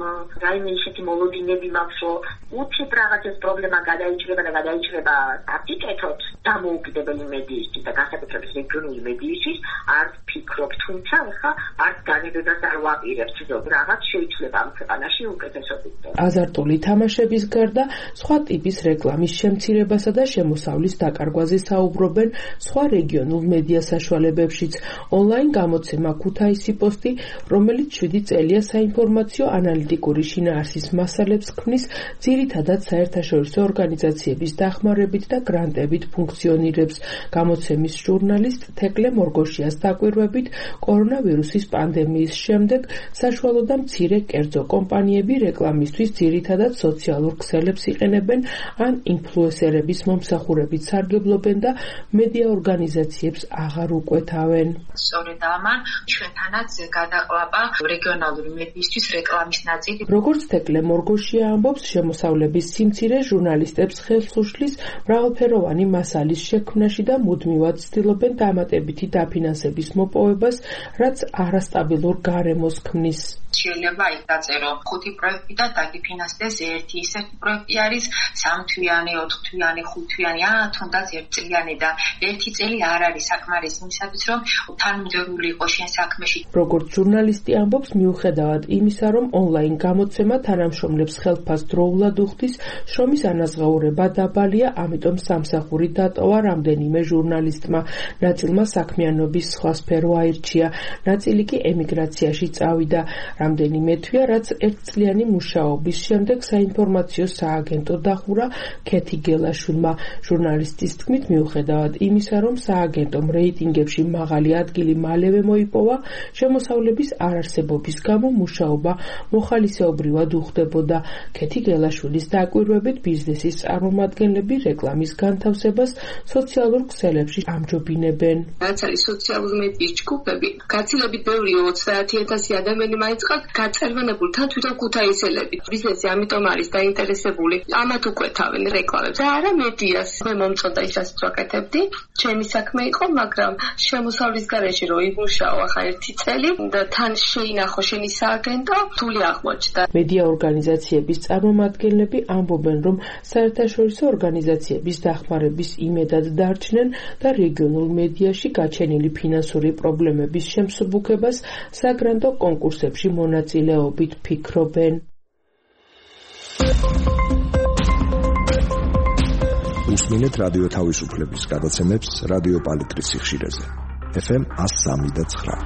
რაიმე ისეთი მოლოდინები მაქვს, რომ უცებ რაღაცის პრობლემა გადაიჭრება და გადაიჭრება აპიკეთოთ დამოუკიდებელი მედიისთვის და განსაკუთრებით რეგიონული მედიისთვის არ ფიქრობ, თუმცა ეხა არ განებებას არ ვაპირებთ, რომ რაღაც შეიძლება ამ ქვეყანაში უკეთესად იქნას. აზარტული თამაშების გარდა სხვა ტიპის რეკლამის შემცირებასა და შემოსავლის დაკარგვაზე საუბრობენ სხვა რეგიონულ მედია საშუალებებშიც. ონლაინ გამოცემა ქუთაისი პოსტი, რომელიც შვიდი წელია საინფორმაციო ანალიტიკური შინაარსის მასალებს ქმნის, ძირითადად საერთაშორისო ორგანიზაციების დახმარებით და გრანტებით ფუნქციონირებს. გამოცემის ჟურნალისტ თეკლე მორგოშიას დაკვირვებით, კორონავირუსის პანდემიის შემდეგ საშუალო და მცირე კერძო კომპანიები რეკლამისთვის ძირითადად სოციალურ ქსელებს იყენებენ ან ინფლუენსერების მომსახურებით სარგებლობენ და მედია ორგანიზაციებს აღარ უკვეთავენ. სწორედ ამან ჩვენთანაც გადაყლაპა რეგიონალური მედიისთვის რეკლამის ნაწილი. როგორც თეკლე მორგოშია ამბობს, შემოსავლების სიმცირე ჟურნალისტებს ხელს უშლის მრავალფეროვანი მასალის შექმნაში და მუდმივად ცდილობენ დამატებითი დაფინანსების მოპოვებას, რაც არასტაბილურ გარემოს ქმნის. შეიძლება იქ დაწერო ხუთი პროექტი და დაგიფინანსდეს ერთი ისეთი პროექტი არის სამთვიანი, ოთხთვიანი, ხუთთვიანი, ან თუნდაც ერთწლიანი და ერთი წელი არ არის საკმარის იმისათვის, რომ თანმიმდევრული იყოს შენ საქმეში. როგორც ჟურნალისტი ამბობს, მიუხედავად იმისა, რომ ონლაინ გამოცემა თანამშრომლებს ხელფას დროულად უხდის, შრომის ანაზღაურება დაბალია, ამიტომ სამსახური დატოვა რამდენიმე ჟურნალისტმა. ნაწილმა საქმიანობის სხვა სფერო აირჩია, ნაწილი კი ემიგრაციაში წავიდა. რამდენიმე თვია, რაც ერთწლიანი მუშაობის შემდეგ საინფორმაციო სააგენტო დახურა ქეთი გელაშვილმა. ჟურნალისტის თქმით, მიუხედავად იმისა, რომ სააგენტომ რეიტინგებში მაღალი ადგილი მალევე მოიპოვა, შემოსავლების არარსებობის გამო მუშაობა მოხალისეობრივად უხდებოდა. ქეთი გელაშვილის დაკვირვებით, ბიზნესის წარმომადგენლები რეკლამის განთავსებას სოციალურ ქსელებში ამჯობინებენ. რაც არის სოციალური მედიის ჯგუფები, გაცილებით ბევრი ოცდაათი ათასი ადამიანი მაინც გაწერვენებული თან თვითონ ქუთაისელები. ბიზნესი ამიტომ არის დაინტერესებული, ამათ უკვეთავენ რეკლამებს. და არა მედიას. მე მომწონდა ის რაც ვაკეთებდი. ჩემი საქმე იყო, მაგრამ შემოსავლის გარეშე რო იმუშაო ახლა ერთი წელი და თან შეინახო შენი სააგენტო, რთული აღმოჩნდა. მედია ორგანიზაციების წარმომადგენლები ამბობენ, რომ საერთაშორისო ორგანიზაციების დახმარების იმედად დარჩნენ და რეგიონულ მედიაში გაჩენილი ფინანსური პრობლემების შემსუბუქებას საგრანტო კონკურსებში მონაწილეობით ფიქრობენ. უსმინეთ რადიო თავისუფლების გადაცემებს რადიო პალიტრის სიხშირეზე. ეფ ემ one oh three point nine.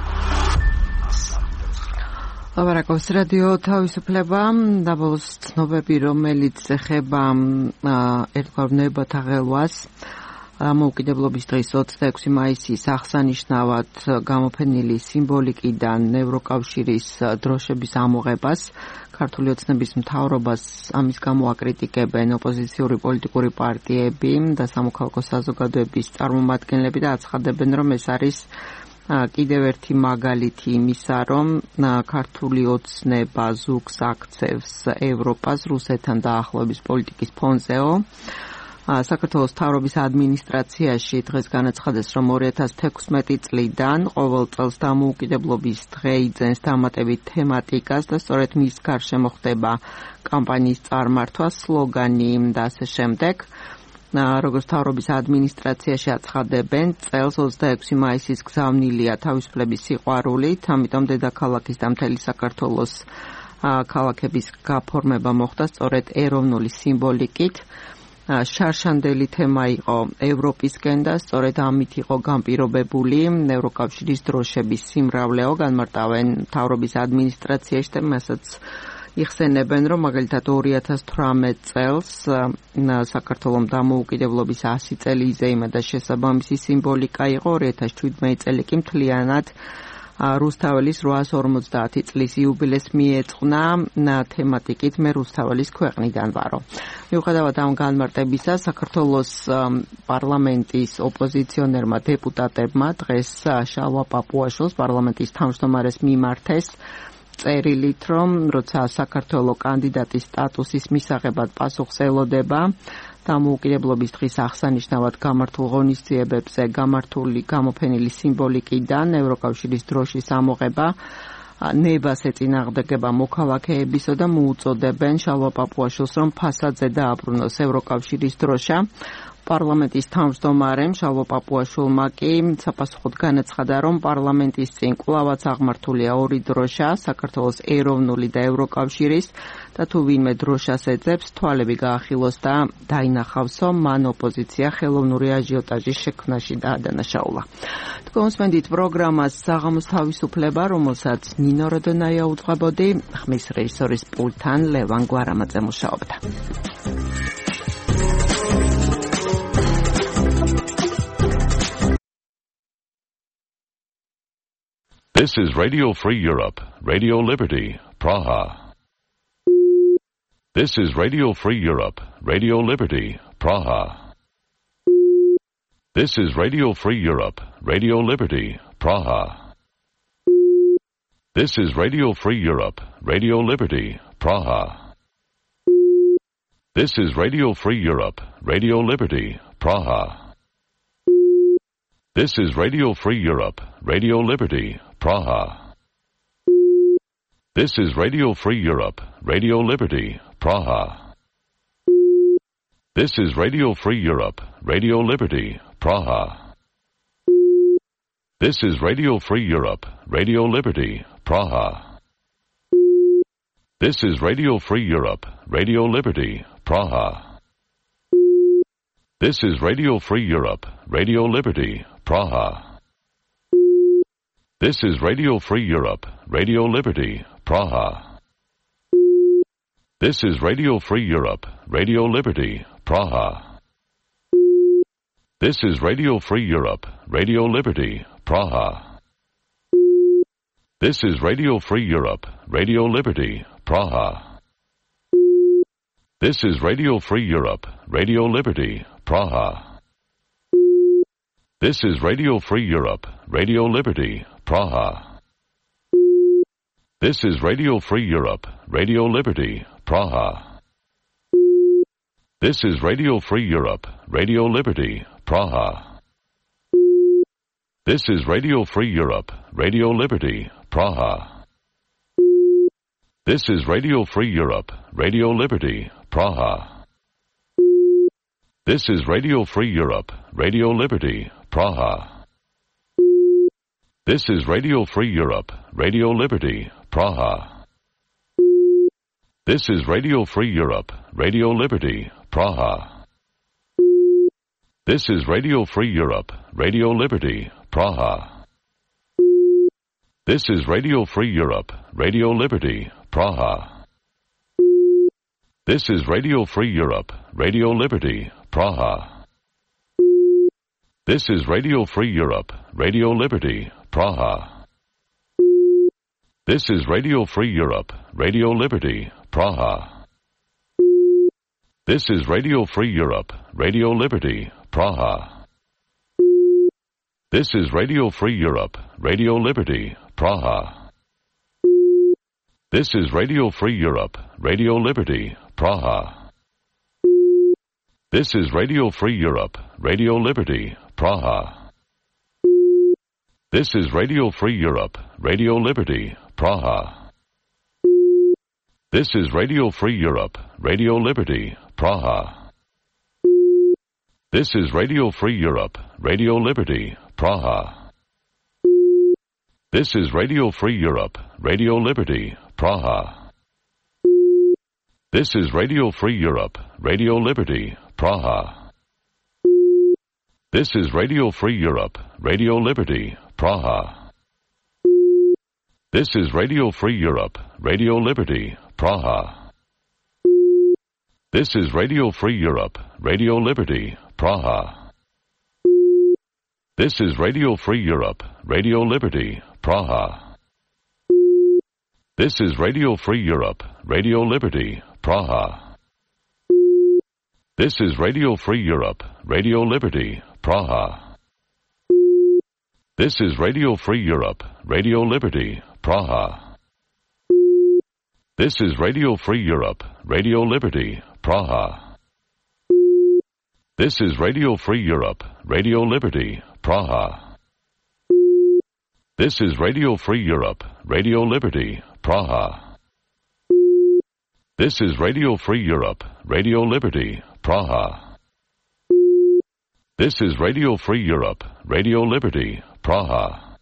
ლაპარაკობს რადიო თავისუფლება, დაბოლოს ცნობები, რომელიც ეხება ერთგვარ ნებათა ღელვას. დამოუკიდებლობის დღის ოცდაექვსი მაისის აღსანიშნავად გამოფენილი სიმბოლიკიდან ევროკავშირის დროშების ამოღებას, ქართული ოცნების მთავრობას ამის გამო აკრიტიკებენ ოპოზიციური პოლიტიკური პარტიები და სამოქალაქო საზოგადოების წარმომადგენლები და აცხადებენ, რომ ეს არის კიდევ ერთი მაგალითი იმისა, რომ ქართული ოცნება ზუგს აქცევს ევროპას რუსეთთან დაახლოების პოლიტიკის ფონზეო. საქართველოს მთავრობის ადმინისტრაციაში დღეს განაცხადეს, რომ ორი ათას თექვსმეტი წლიდან ყოველ წელს დამოუკიდებლობის დღე იძენს დამატებით თემატიკას და სწორედ მის გარშემო ხდება კამპანიის წარმართვა, სლოგანი და ასე შემდეგ. როგორც მთავრობის ადმინისტრაციაში აცხადებენ, წელს ოცდაექვსი მაისის გზავნილია თავისუფლების სიყვარულით, ამიტომ დედაქალაქის და მთელი საქართველოს ქალაქების გაფორმება მოხდა სწორედ ეროვნული სიმბოლიკით. შარშანდელი თემა იყო ევროპისკენ და სწორედ ამით იყო განპირობებული ევროკავშირის დროშების სიმრავლეო. განმარტავენ მთავრობის ადმინისტრაციაში და მასაც იხსენებენ, რომ მაგალითად ორი ათას თვრამეტ წელს საქართველოს დამოუკიდებლობის ასი წელი იზეიმა და შესაბამისი სიმბოლიკა იყო. ორი ათას შვიდმეტი წელი კი მთლიანად რუსთაველის რვაას ორმოცდაათი წლის იუბილეს მიეწყნა თემატიკით მე რუსთაველის ქვეყნიდან ვარო. მიუხედავად ამ განმარტებისა, საქართველოს პარლამენტის ოპოზიციონერმა დეპუტატებმა დღეს შალვა პაპუაშვილს პარლამენტის თავმჯდომარეს მიმართეს წერილით, რომ როცა საქართველოს კანდიდატის სტატუსის მისაღებად პასუხს ელოდება დამოუკიდებლობის დღის აღსანიშნავად გამართულ ღონისძიებებზე გამართული გამოფენილი სიმბოლიკიდან ევროკავშირის დროშის ამოღება ნებას ეწინააღმდეგება მოქალაქეებისო და მოუწოდებენ შალვა პაპუაშვილს, რომ ფასადზე დააბრუნოს ევროკავშირის დროშა. პარლამენტის თავმჯდომარემ შალვა პაპუაშვილმა კი საპასუხოდ განაცხადა, რომ პარლამენტის წინ კვლავაც აღმართულია ორი დროშა, საქართველოს ეროვნული და ევროკავშირის და თუ ვინმე დროშას ეძებს, თვალები გაახილოს და დაინახავსო, მან ოპოზიცია ხელოვნური აჟიოტაჟის შექმნაში დაადანაშაულა. თქვენსმენდით პროგრამას საღამოს თავისუფლება, რომელსაც ნინო როდონაია უძღვებოდი, ხმის რეჟისორის პულტთან ლევან გვარამაძე მუშაობდა. This is Radio Free Europe, Radio Liberty, Praha. This is Radio Free Europe, Radio Liberty, Praha. This is Radio Free Europe, Radio Liberty, Praha. This is Radio Free Europe, Radio Liberty, Praha. This is Radio Free Europe, Radio Liberty, Praha. This is Radio Free Europe, Radio Liberty, Praha. This is Radio Free Europe, Radio Liberty, Praha. This is Radio Free Europe, Radio Liberty, Praha. This is Radio Free Europe, Radio Liberty, Praha. This is Radio Free Europe, Radio Liberty, Praha. This is Radio Free Europe, Radio Liberty, Praha. This is Radio Free Europe, Radio Liberty, Praha. This is Radio Free Europe, Radio Liberty, Praha. This is Radio Free Europe, Radio Liberty, Praha. This is Radio Free Europe, Radio Liberty, Praha. This is Radio Free Europe, Radio Liberty, Praha. This is Radio Free Europe, Radio Liberty, Praha. This is Radio Free Europe, Radio Liberty, Praha. This is Radio Free Europe, Radio Liberty, Praha. This is Radio Free Europe, Radio Liberty, Praha. This is Radio Free Europe, Radio Liberty, Praha. This is Radio Free Europe, Radio Liberty, Praha. This is Radio Free Europe, Radio Liberty, Praha. This is Radio Free Europe, Radio Liberty, Praha. This is Radio Free Europe, Radio Liberty, Praha. This is Radio Free Europe, Radio Liberty, Praha. This is Radio Free Europe, Radio Liberty, Praha. This is Radio Free Europe, Radio Liberty, Praha. This is Radio Free Europe, Radio Liberty, Praha. This is Radio Free Europe, Radio Liberty, Praha. This is Radio Free Europe, Radio Liberty, Praha. This is Radio Free Europe, Radio Liberty, Praha. This is Radio Free Europe, Radio Liberty, Praha. This is Radio Free Europe, Radio Liberty, Praha. This is Radio Free Europe, Radio Liberty, Praha. This is Radio Free Europe, Radio Liberty, Praha. This is Radio Free Europe, Radio Liberty, Praha. This is Radio Free Europe, Radio Liberty, Praha. This is Radio Free Europe, Radio Liberty, Praha. This is Radio Free Europe, Radio Liberty, Praha. This is Radio Free Europe, Radio Liberty, Praha. This is Radio Free Europe, Radio Liberty, Praha. This is Radio Free Europe, Radio Liberty, Praha. This is Radio Free Europe, Radio Liberty, Praha. This is Radio Free Europe, Radio Liberty, Praha. This is Radio Free Europe, Radio Liberty, Praha. This is Radio Free Europe, Radio Liberty, Praha. This is Radio Free Europe, Radio Liberty, Praha. This is Radio Free Europe, Radio Liberty, Praha. This is Radio Free Europe, Radio Liberty, Praha.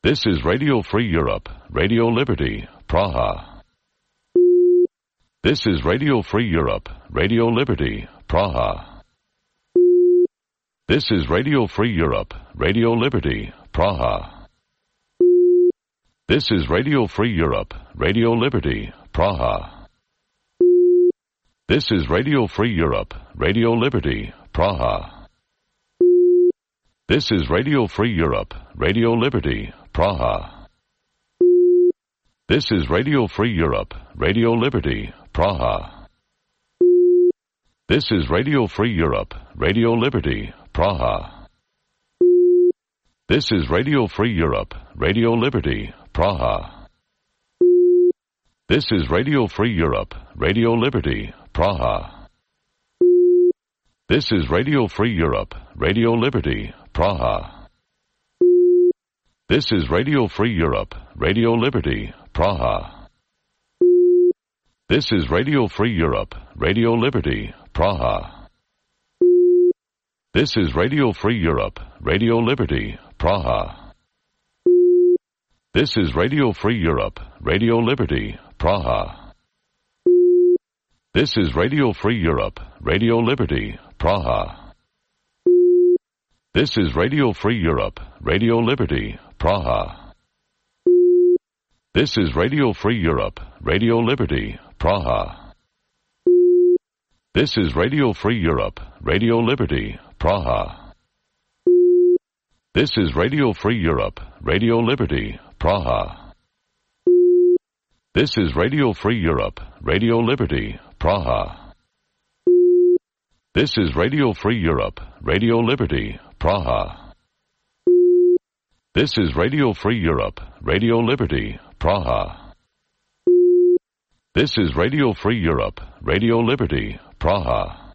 This is Radio Free Europe, Radio Liberty, Praha. This is Radio Free Europe, Radio Liberty, Praha. This is Radio Free Europe, Radio Liberty, Praha. This is Radio Free Europe, Radio Liberty, Praha. This is Radio Free Europe, Radio Liberty, Praha. This is Radio Free Europe, Radio Liberty, Praha. This is Radio Free Europe, Radio Liberty, Praha. This is Radio Free Europe, Radio Liberty, Praha. This is Radio Free Europe, Radio Liberty, Praha. This is Radio Free Europe, Radio Liberty, Praha. This is Radio Free Europe, Radio Liberty, Praha. This is Radio Free Europe, Radio Liberty, Praha. This is Radio Free Europe, Radio Liberty, Praha. This is Radio Free Europe, Radio Liberty, Praha. This is Radio Free Europe, Radio Liberty, Praha. This is Radio Free Europe, Radio Liberty, Praha. This is Radio Free Europe, Radio Liberty, Praha. This is Radio Free Europe, Radio Liberty, Praha. This is Radio Free Europe, Radio Liberty, Praha. This is Radio Free Europe, Radio Liberty, Praha. This is Radio Free Europe, Radio Liberty, Praha. This is Radio Free Europe, Radio Liberty, Praha. This is Radio Free Europe, Radio Liberty, Praha. This is Radio Free Europe, Radio Liberty, Praha.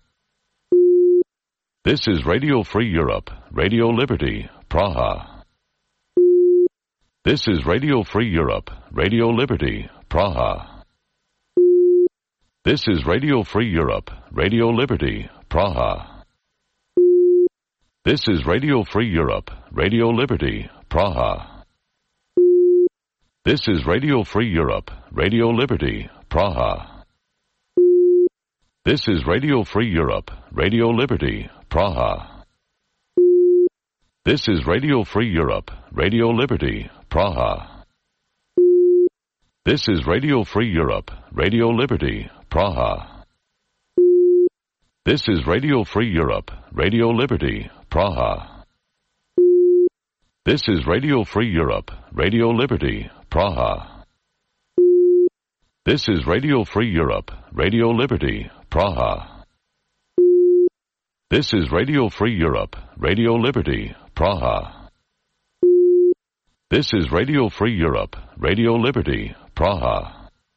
This is Radio Free Europe, Radio Liberty, Praha. This is Radio Free Europe, Radio Liberty, Praha. This is Radio Free Europe, Radio Liberty, Praha. This is Radio Free Europe, Radio Liberty, Praha. This is Radio Free Europe, Radio Liberty, Praha. This is Radio Free Europe, Radio Liberty, Praha. This is Radio Free Europe, Radio Liberty, Praha. This is Radio Free Europe, Radio Liberty, Praha. This is Radio Free Europe, Radio Liberty, Praha. This is Radio Free Europe, Radio Liberty, Praha. This is Radio Free Europe, Radio Liberty, Praha. This is Radio Free Europe, Radio Liberty, Praha. This is Radio Free Europe, Radio Liberty, Praha.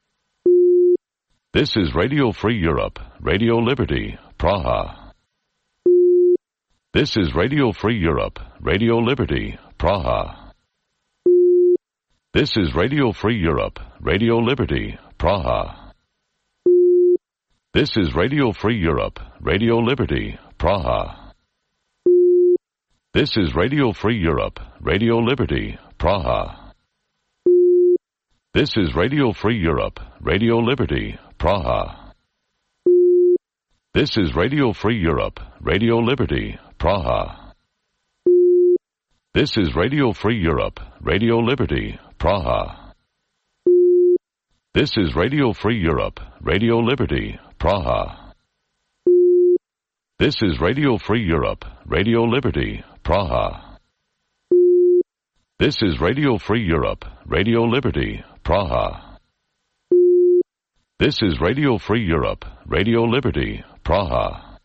This is Radio Free Europe, Radio Liberty, Praha. This is Radio Free Europe, Radio Liberty, Praha. This is Radio Free Europe, Radio Liberty, Praha. This is Radio Free Europe, Radio Liberty, Praha. This is Radio Free Europe, Radio Liberty, Praha. This is Radio Free Europe, Radio Liberty, Praha. This is Radio Free Europe, Radio Liberty, Praha. This is Radio Free Europe, Radio Liberty, Praha. This is Radio Free Europe, Radio Liberty, Praha. This is Radio Free Europe, Radio Liberty, Praha. This is Radio Free Europe, Radio Liberty, Praha. This is Radio Free Europe, Radio Liberty, Praha.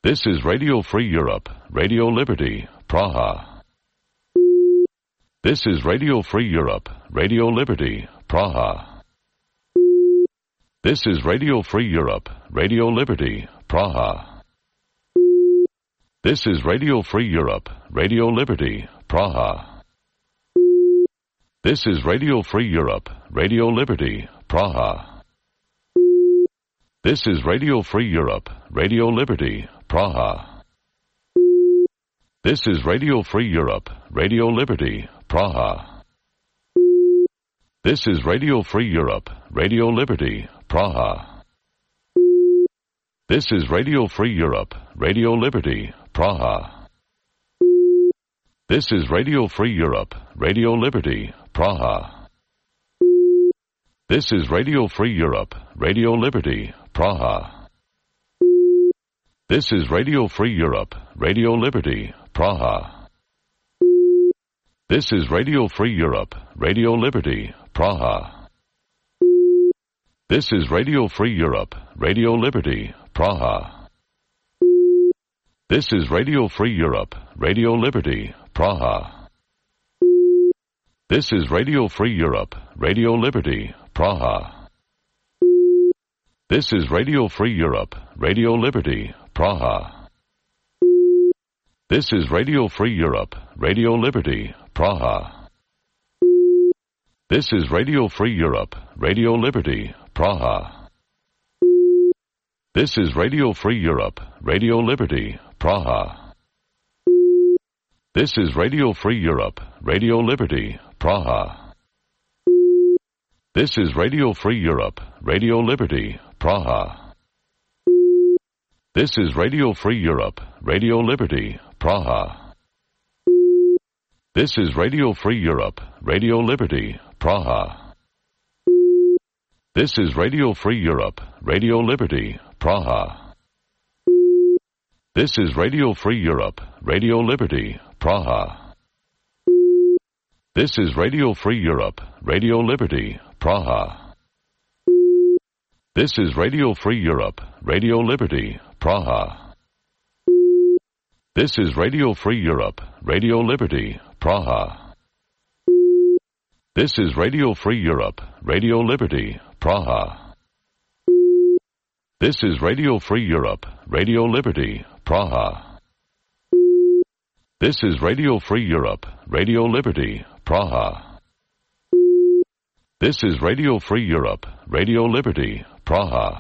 This is Radio Free Europe, Radio Liberty, Praha. This is Radio Free Europe, Radio Liberty, Praha. This is Radio Free Europe, Radio Liberty, Praha. This is Radio Free Europe, Radio Liberty, Praha. This is Radio Free Europe, Radio Liberty, Praha. This is Radio Free Europe, Radio Liberty, Praha. This is Radio Free Europe, Radio Liberty, Praha. This is Radio Free Europe, Radio Liberty, Praha. This is Radio Free Europe, Radio Liberty, Praha. This is Radio Free Europe, Radio Liberty, Praha. This is Radio Free Europe, Radio Liberty, Praha. This is Radio Free Europe, Radio Liberty, Praha. This is Radio Free Europe, Radio Liberty, Praha. This is Radio Free Europe, Radio Liberty, Praha. This is Radio Free Europe, Radio Liberty, Praha. This is Radio Free Europe, Radio Liberty, Praha. This is Radio Free Europe, Radio Liberty, Praha. This is Radio Free Europe, Radio Liberty, Praha. This is Radio Free Europe, Radio Liberty, Praha. This is Radio Free Europe, Radio Liberty, Praha. This is Radio Free Europe, Radio Liberty, Praha. This is Radio Free Europe, Radio Liberty, Praha. This is Radio Free Europe, Radio Liberty, Praha. This is Radio Free Europe, Radio Liberty, Praha. This is Radio Free Europe, Radio Liberty, Praha. This is Radio Free Europe, Radio Liberty, Praha. This is Radio Free Europe, Radio Liberty, Praha. This is Radio Free Europe, Radio Liberty, Praha. This is Radio Free Europe, Radio Liberty, Praha. This is Radio Free Europe, Radio Liberty, Praha. This is Radio Free Europe, Radio Liberty, Praha. This is Radio Free Europe, Radio Liberty, Praha. This is Radio Free Europe, Radio Liberty, Praha.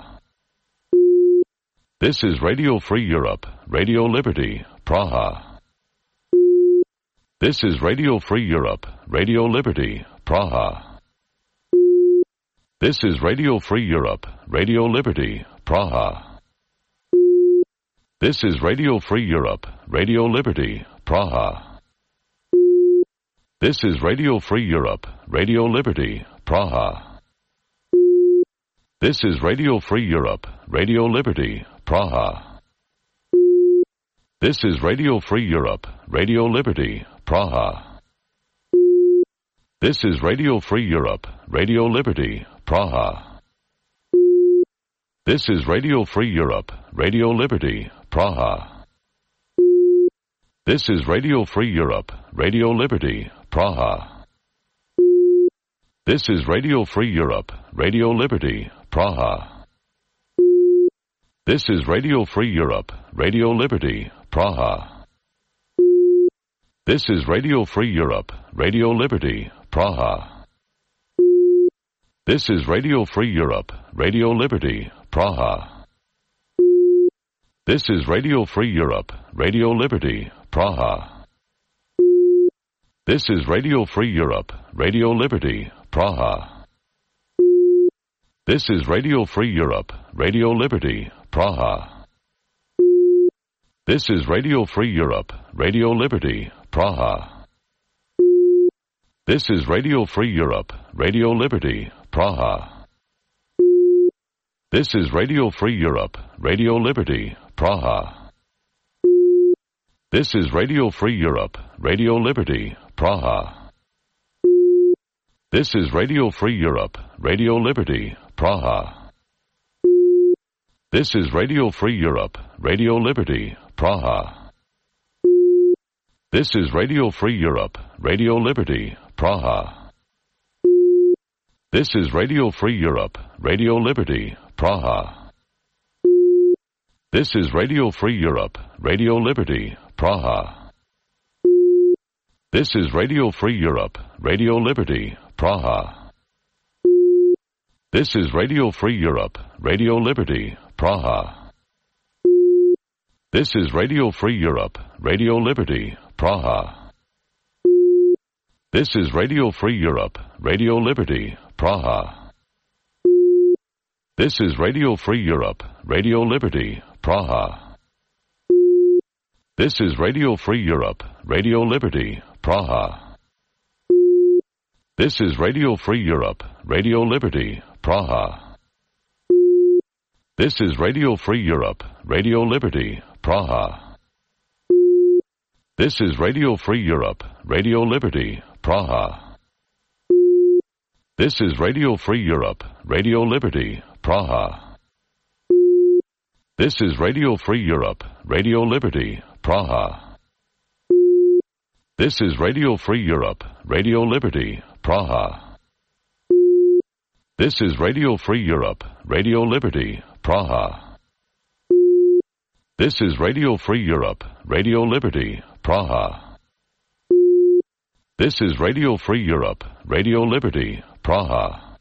This is Radio Free Europe, Radio Liberty, Praha. This is Radio Free Europe, Radio Liberty, Praha. This is Radio Free Europe, Radio Liberty, Praha. This is Radio Free Europe, Radio Liberty, Praha. This is Radio Free Europe, Radio Liberty, Praha. This is Radio Free Europe, Radio Liberty, Praha. This is Radio Free Europe, Radio Liberty, Praha. This is Radio Free Europe, Radio Liberty, Praha. This is Radio Free Europe, Radio Liberty, Praha. This is Radio Free Europe, Radio Liberty, Praha. This is Radio Free Europe, Radio Liberty, Praha. This is Radio Free Europe, Radio Liberty, Praha. This is Radio Free Europe, Radio Liberty, Praha. This is Radio Free Europe, Radio Liberty, Praha. This is Radio Free Europe, Radio Liberty, Praha. This is Radio Free Europe, Radio Liberty, Praha. This is Radio Free Europe, Radio Liberty, Praha. This is Radio Free Europe, Radio Liberty, Praha. This is Radio Free Europe, Radio Liberty, Praha. This is Radio Free Europe, Radio Liberty, Praha. This is Radio Free Europe, Radio Liberty, Praha. This is Radio Free Europe, Radio Liberty, Praha. This is Radio Free Europe, Radio Liberty, Praha. This is Radio Free Europe, Radio Liberty, Praha. This is Radio Free Europe, Radio Liberty, Praha. This is Radio Free Europe, Radio Liberty, Praha. This is Radio Free Europe, Radio Liberty, Praha. This is Radio Free Europe, Radio Liberty, Praha. This is Radio Free Europe, Radio Liberty, Praha. This is Radio Free Europe, Radio Liberty, Praha. This is Radio Free Europe, Radio Liberty, Praha. This is Radio Free Europe, Radio Liberty, Praha. This is Radio Free Europe, Radio Liberty, Praha. This is Radio Free Europe, Radio Liberty, Praha. This is Radio Free Europe, Radio Liberty, Praha. This is Radio Free Europe, Radio Liberty, Praha. This is Radio Free Europe, Radio Liberty, Praha. This is Radio Free Europe, Radio Liberty, Praha. This is Radio Free Europe, Radio Liberty, Praha. This is Radio Free Europe, Radio Liberty, Praha. This is Radio Free Europe, Radio Liberty, Praha.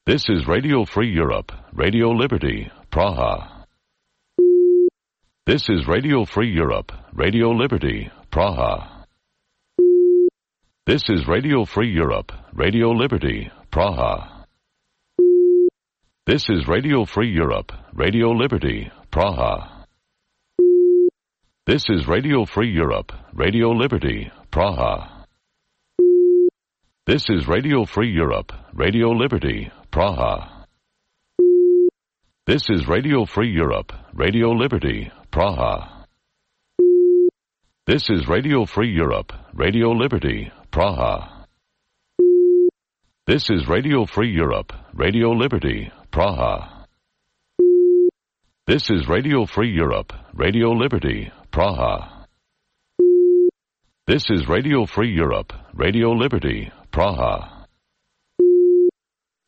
This is Radio Free Europe, Radio Liberty, Praha. This is Radio Free Europe, Radio Liberty, Praha. This is Radio Free Europe, Radio Liberty, Praha. This is Radio Free Europe, Radio Liberty, Praha. This is Radio Free Europe, Radio Liberty, Praha. This is Radio Free Europe, Radio Liberty, Praha. This is Radio Free Europe, Radio Liberty, Praha. This is Radio Free Europe, Radio Liberty, Praha. This is Radio Free Europe, Radio Liberty, Praha. This is Radio Free Europe, Radio Liberty, Praha. This is Radio Free Europe, Radio Liberty, Praha.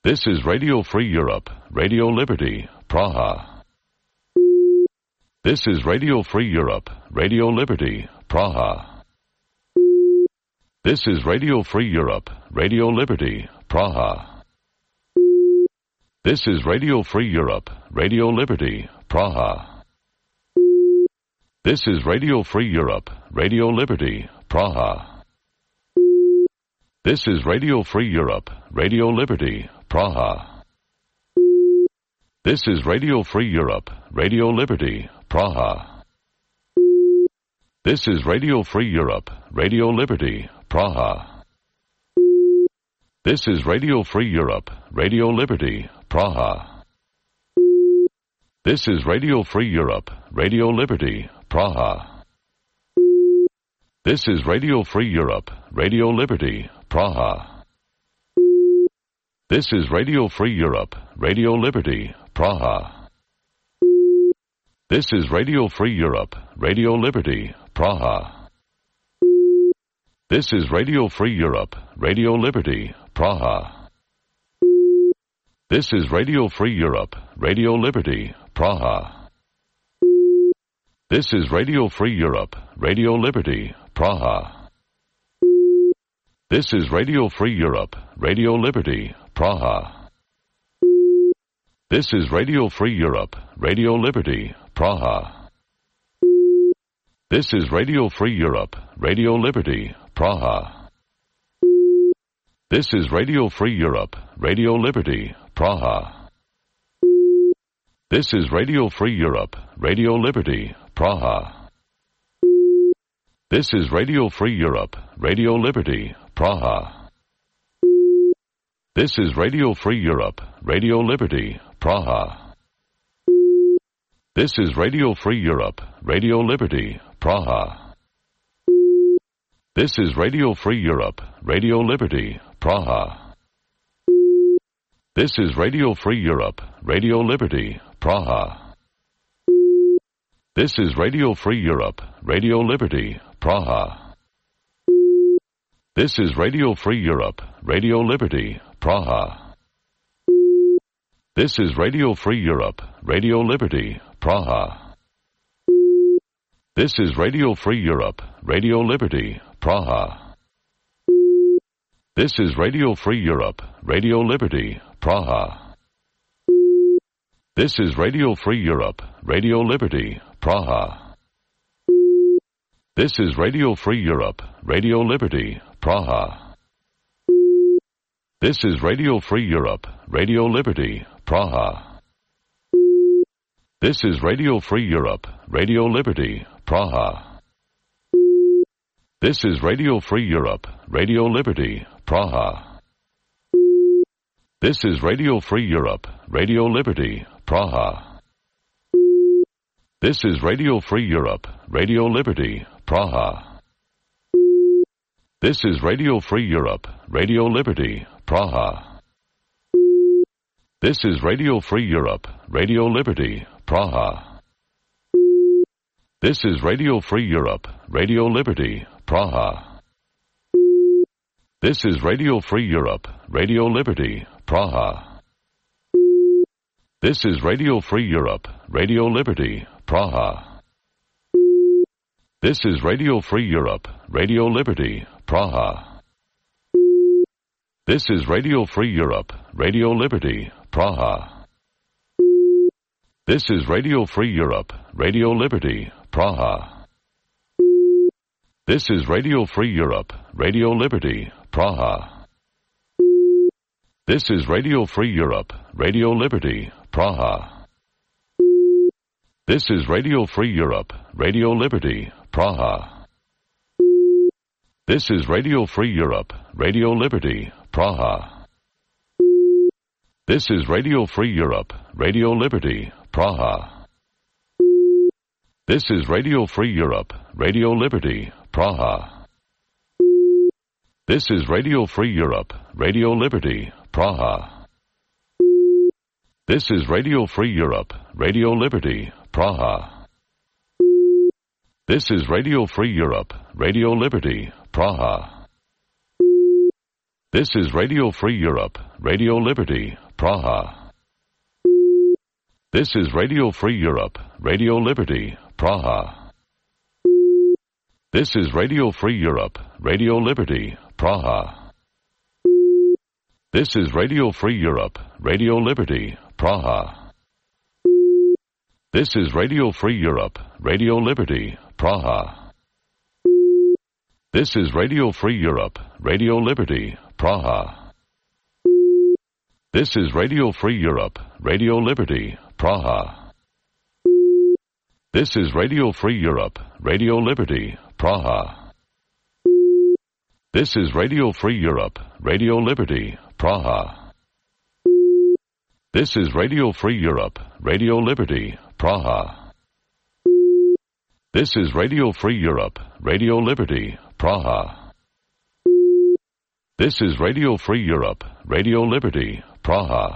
This is Radio Free Europe, Radio Liberty, Praha. This is Radio Free Europe, Radio Liberty, Praha. This is Radio Free Europe, Radio Liberty, Praha. This is Radio Free Europe, Radio Liberty, Praha. This is Radio Free Europe, Radio Liberty, Praha. This is Radio Free Europe, Radio Liberty, Praha. This is Radio Free Europe, Radio Liberty, Praha. This is Radio Free Europe, Radio Liberty, Praha. This is Radio Free Europe, Radio Liberty, Praha. This is Radio Free Europe, Radio Liberty, Praha. This is Radio Free Europe, Radio Liberty, Praha. This is Radio Free Europe, Radio Liberty, Praha. This is Radio Free Europe, Radio Liberty, Praha. This is Radio Free Europe, Radio Liberty, Praha. This is Radio Free Europe, Radio Liberty, Praha. This is Radio Free Europe, Radio Liberty, Praha. This is Radio Free Europe, Radio Liberty, Praha. This is Radio Free Europe, Radio Liberty, Praha. This is Radio Free Europe, Radio Liberty, Praha. This is Radio Free Europe, Radio Liberty, Praha. This is Radio Free Europe, Radio Liberty, Praha. This is Radio Free Europe, Radio Liberty, Praha. This is Radio Free Europe, Radio Liberty, Praha. This is Radio Free Europe, Radio Liberty, Praha. This is Radio Free Europe, Radio Liberty, Praha. This is Radio Free Europe, Radio Liberty, Praha. This is Radio Free Europe, Radio Liberty, Praha. This is Radio Free Europe, Radio Liberty, Praha. This is Radio Free Europe, Radio Liberty, Praha. This is Radio Free Europe, Radio Liberty, Praha. This is Radio Free Europe, Radio Liberty, Praha. This is Radio Free Europe, Radio Liberty, Praha. This is Radio Free Europe, Radio Liberty, Praha. This is Radio Free Europe, Radio Liberty, Praha. This is Radio Free Europe, Radio Liberty, Praha. This is Radio Free Europe, Radio Liberty, Praha. This is Radio Free Europe, Radio Liberty, Praha. This is Radio Free Europe, Radio Liberty, Praha. This is Radio Free Europe, Radio Liberty, Praha. This is Radio Free Europe, Radio Liberty, Praha. This is Radio Free Europe, Radio Liberty, Praha. This is Radio Free Europe, Radio Liberty, Praha. This is Radio Free Europe, Radio Liberty, Praha. This is Radio Free Europe, Radio Liberty, Praha. This is Radio Free Europe, Radio Liberty, Praha. This is Radio Free Europe, Radio Liberty, Praha. This is Radio Free Europe, Radio Liberty, Praha. This is Radio Free Europe, Radio Liberty, Praha. This is Radio Free Europe, Radio Liberty, Praha. This is Radio Free Europe, Radio Liberty, Praha. This is Radio Free Europe, Radio Liberty, Praha. This is Radio Free Europe, Radio Liberty, Praha. This is Radio Free Europe, Radio Liberty, Praha. This is Radio Free Europe, Radio Liberty, Praha. This is Radio Free Europe, Radio Liberty, Praha. This is Radio Free Europe, Radio Liberty, Praha. This is Radio Free Europe, Radio Liberty, Praha. This is Radio Free Europe, Radio Liberty, Praha. This is Radio Free Europe, Radio Liberty, Praha. This is Radio Free Europe, Radio Liberty, Praha. This is Radio Free Europe, Radio Liberty, Praha. This is Radio Free Europe, Radio Liberty, Praha. This is Radio Free Europe, Radio Liberty, Praha. This is Radio Free Europe, Radio Liberty, Praha. This is Radio Free Europe, Radio Liberty, Praha. This is Radio Free Europe, Radio Liberty, Praha. This is Radio Free Europe, Radio Liberty, Praha.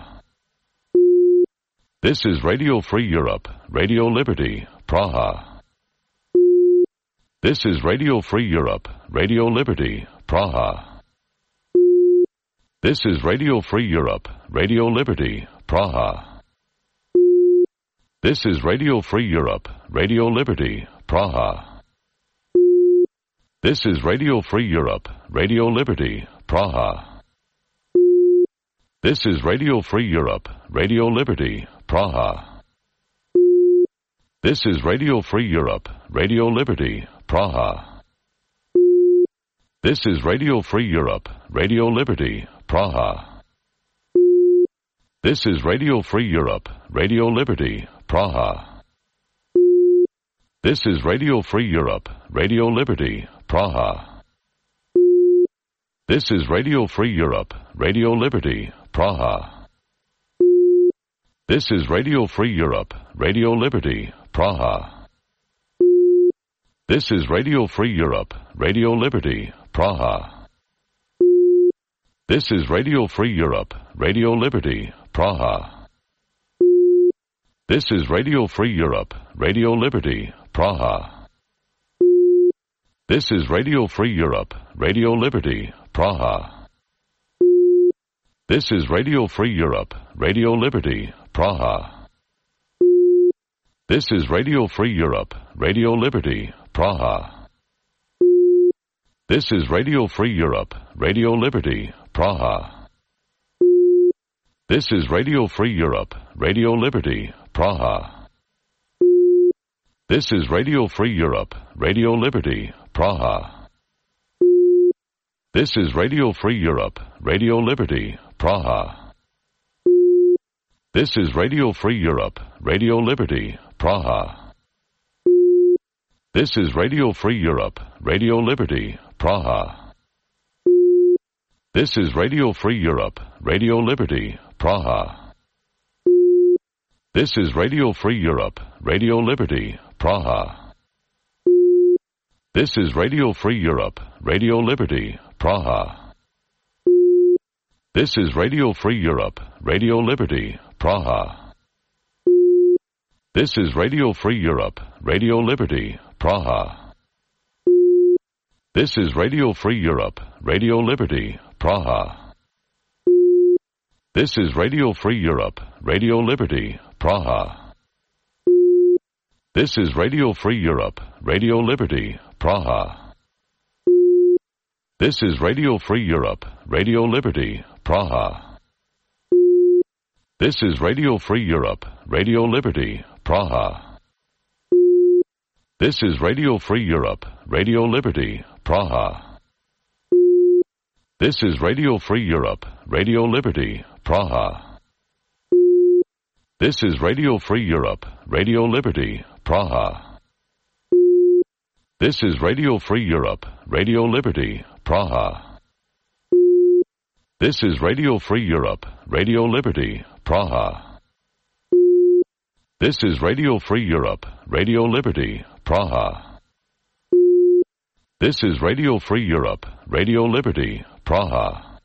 This is Radio Free Europe, Radio Liberty, Praha. This is Radio Free Europe, Radio Liberty, Praha. This is Radio Free Europe, Radio Liberty, Praha. This is Radio Free Europe, Radio Liberty, Praha. This is Radio Free Europe, Radio Liberty, Praha. This is Radio Free Europe, Radio Liberty, Praha. This is Radio Free Europe, Radio Liberty, Praha. This is Radio Free Europe, Radio Liberty, Praha. This is Radio Free Europe, Radio Liberty, Praha. This is Radio Free Europe, Radio Liberty, Praha. This is Radio Free Europe, Radio Liberty, Praha. This is Radio Free Europe, Radio Liberty, Praha. This is Radio Free Europe, Radio Liberty, Praha. This is Radio Free Europe, Radio Liberty, Praha. This is Radio Free Europe, Radio Liberty, Praha. This is Radio Free Europe, Radio Liberty, Praha. This is Radio Free Europe, Radio Liberty, Praha. This is Radio Free Europe, Radio Liberty, Praha. This is Radio Free Europe, Radio Liberty, Praha. This is Radio Free Europe, Radio Liberty, Praha. This is Radio Free Europe, Radio Liberty, Praha. This is Radio Free Europe, Radio Liberty, Praha. This is Radio Free Europe, Radio Liberty, Praha. This is Radio Free Europe, Radio Liberty, Praha. This is Radio Free Europe, Radio Liberty, Praha. This is Radio Free Europe, Radio Liberty, Praha. This is Radio Free Europe, Radio Liberty, Praha. This is Radio Free Europe, Radio Liberty, Praha. This is Radio Free Europe, Radio Liberty, Praha. This is Radio Free Europe, Radio Liberty, Praha. This is Radio Free Europe, Radio Liberty, Praha. This is Radio Free Europe, Radio Liberty, Praha. This is Radio Free Europe, Radio Liberty, Praha. This is Radio Free Europe, Radio Liberty, Praha. This is Radio Free Europe, Radio Liberty, Praha. This is Radio Free Europe, Radio Liberty, Praha. This is Radio Free Europe, Radio Liberty, Praha. This is Radio Free Europe, Radio Liberty, Praha. This is Radio Free Europe, Radio Liberty, Praha. This is Radio Free Europe, Radio Liberty, Praha. This is Radio Free Europe, Radio Liberty, Praha.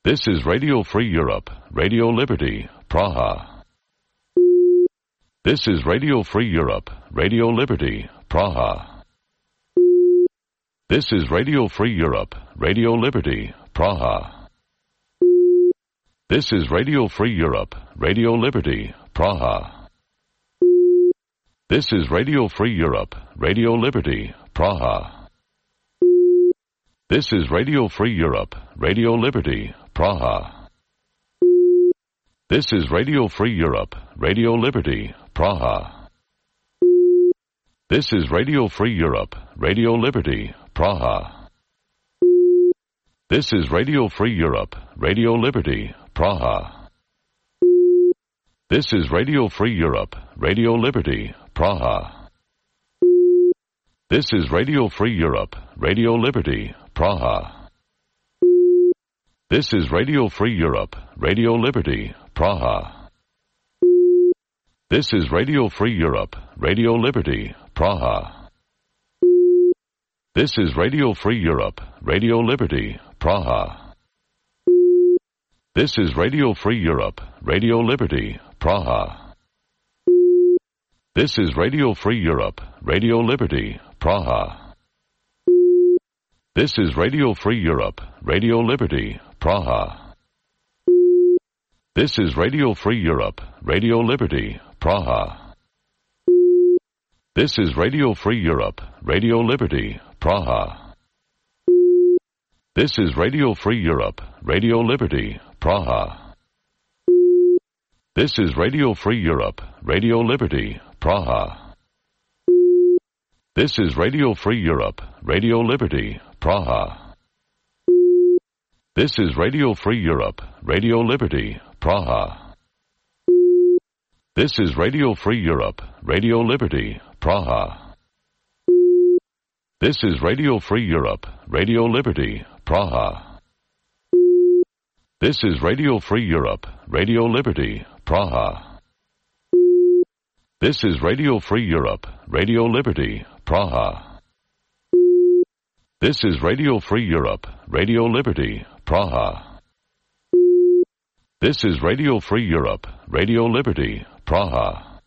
This is Radio Free Europe, Radio Liberty, Praha. This is Radio Free Europe, Radio Liberty, Praha. This is Radio Free Europe, Radio Liberty, Praha. This is Radio Free Europe, Radio Liberty, Praha. This is Radio Free Europe, Radio Liberty, Praha. This is Radio Free Europe, Radio Liberty, Praha. This is Radio Free Europe, Radio Liberty, Praha. This is Radio Free Europe, Radio Liberty, Praha. This is Radio Free Europe, Radio Liberty, Praha. This is Radio Free Europe, Radio Liberty, Praha. This is Radio Free Europe, Radio Liberty, Praha. This is Radio Free Europe, Radio Liberty, Praha. This is Radio Free Europe, Radio Liberty, Praha. This is Radio Free Europe, Radio Liberty, Praha. This is Radio Free Europe, Radio Liberty, Praha. This is Radio Free Europe, Radio Liberty, Praha. This is Radio Free Europe, Radio Liberty, Praha. This is Radio Free Europe, Radio Liberty, Praha. This is Radio Free Europe, Radio Liberty, Praha. This is Radio Free Europe, Radio Liberty, Praha. This is Radio Free Europe, Radio Liberty, Praha. This is Radio Free Europe, Radio Liberty, Praha. This is Radio Free Europe, Radio Liberty, Praha. This is Radio Free Europe, Radio Liberty, Praha. This is Radio Free Europe, Radio Liberty, Praha. This is Radio Free Europe, Radio Liberty, Praha. This is Radio Free Europe, Radio Liberty, Praha. This is Radio Free Europe, Radio Liberty, Praha. This is Radio Free Europe, Radio Liberty, Praha.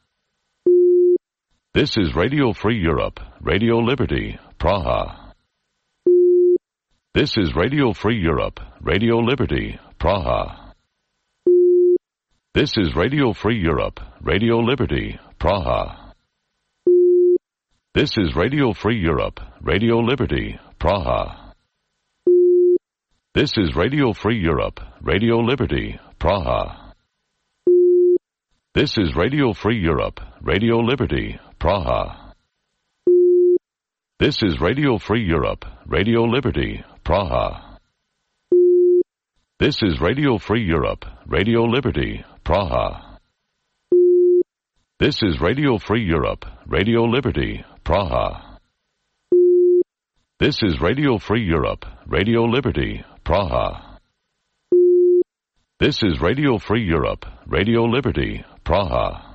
This is Radio Free Europe, Radio Liberty, Praha. This is Radio Free Europe, Radio Liberty, Praha. This is Radio Free Europe, Radio Liberty, Praha. This is Radio Free Europe, Radio Liberty, Praha. This is Radio Free Europe, Radio Liberty, Praha. This is Radio Free Europe, Radio Liberty, Praha. This is Radio Free Europe, Radio Liberty, Praha. This is Radio Free Europe, Radio Liberty, Praha. This is Radio Free Europe, Radio Liberty, Praha. This is Radio Free Europe, Radio Liberty, Praha. This is Radio Free Europe, Radio Liberty, Praha.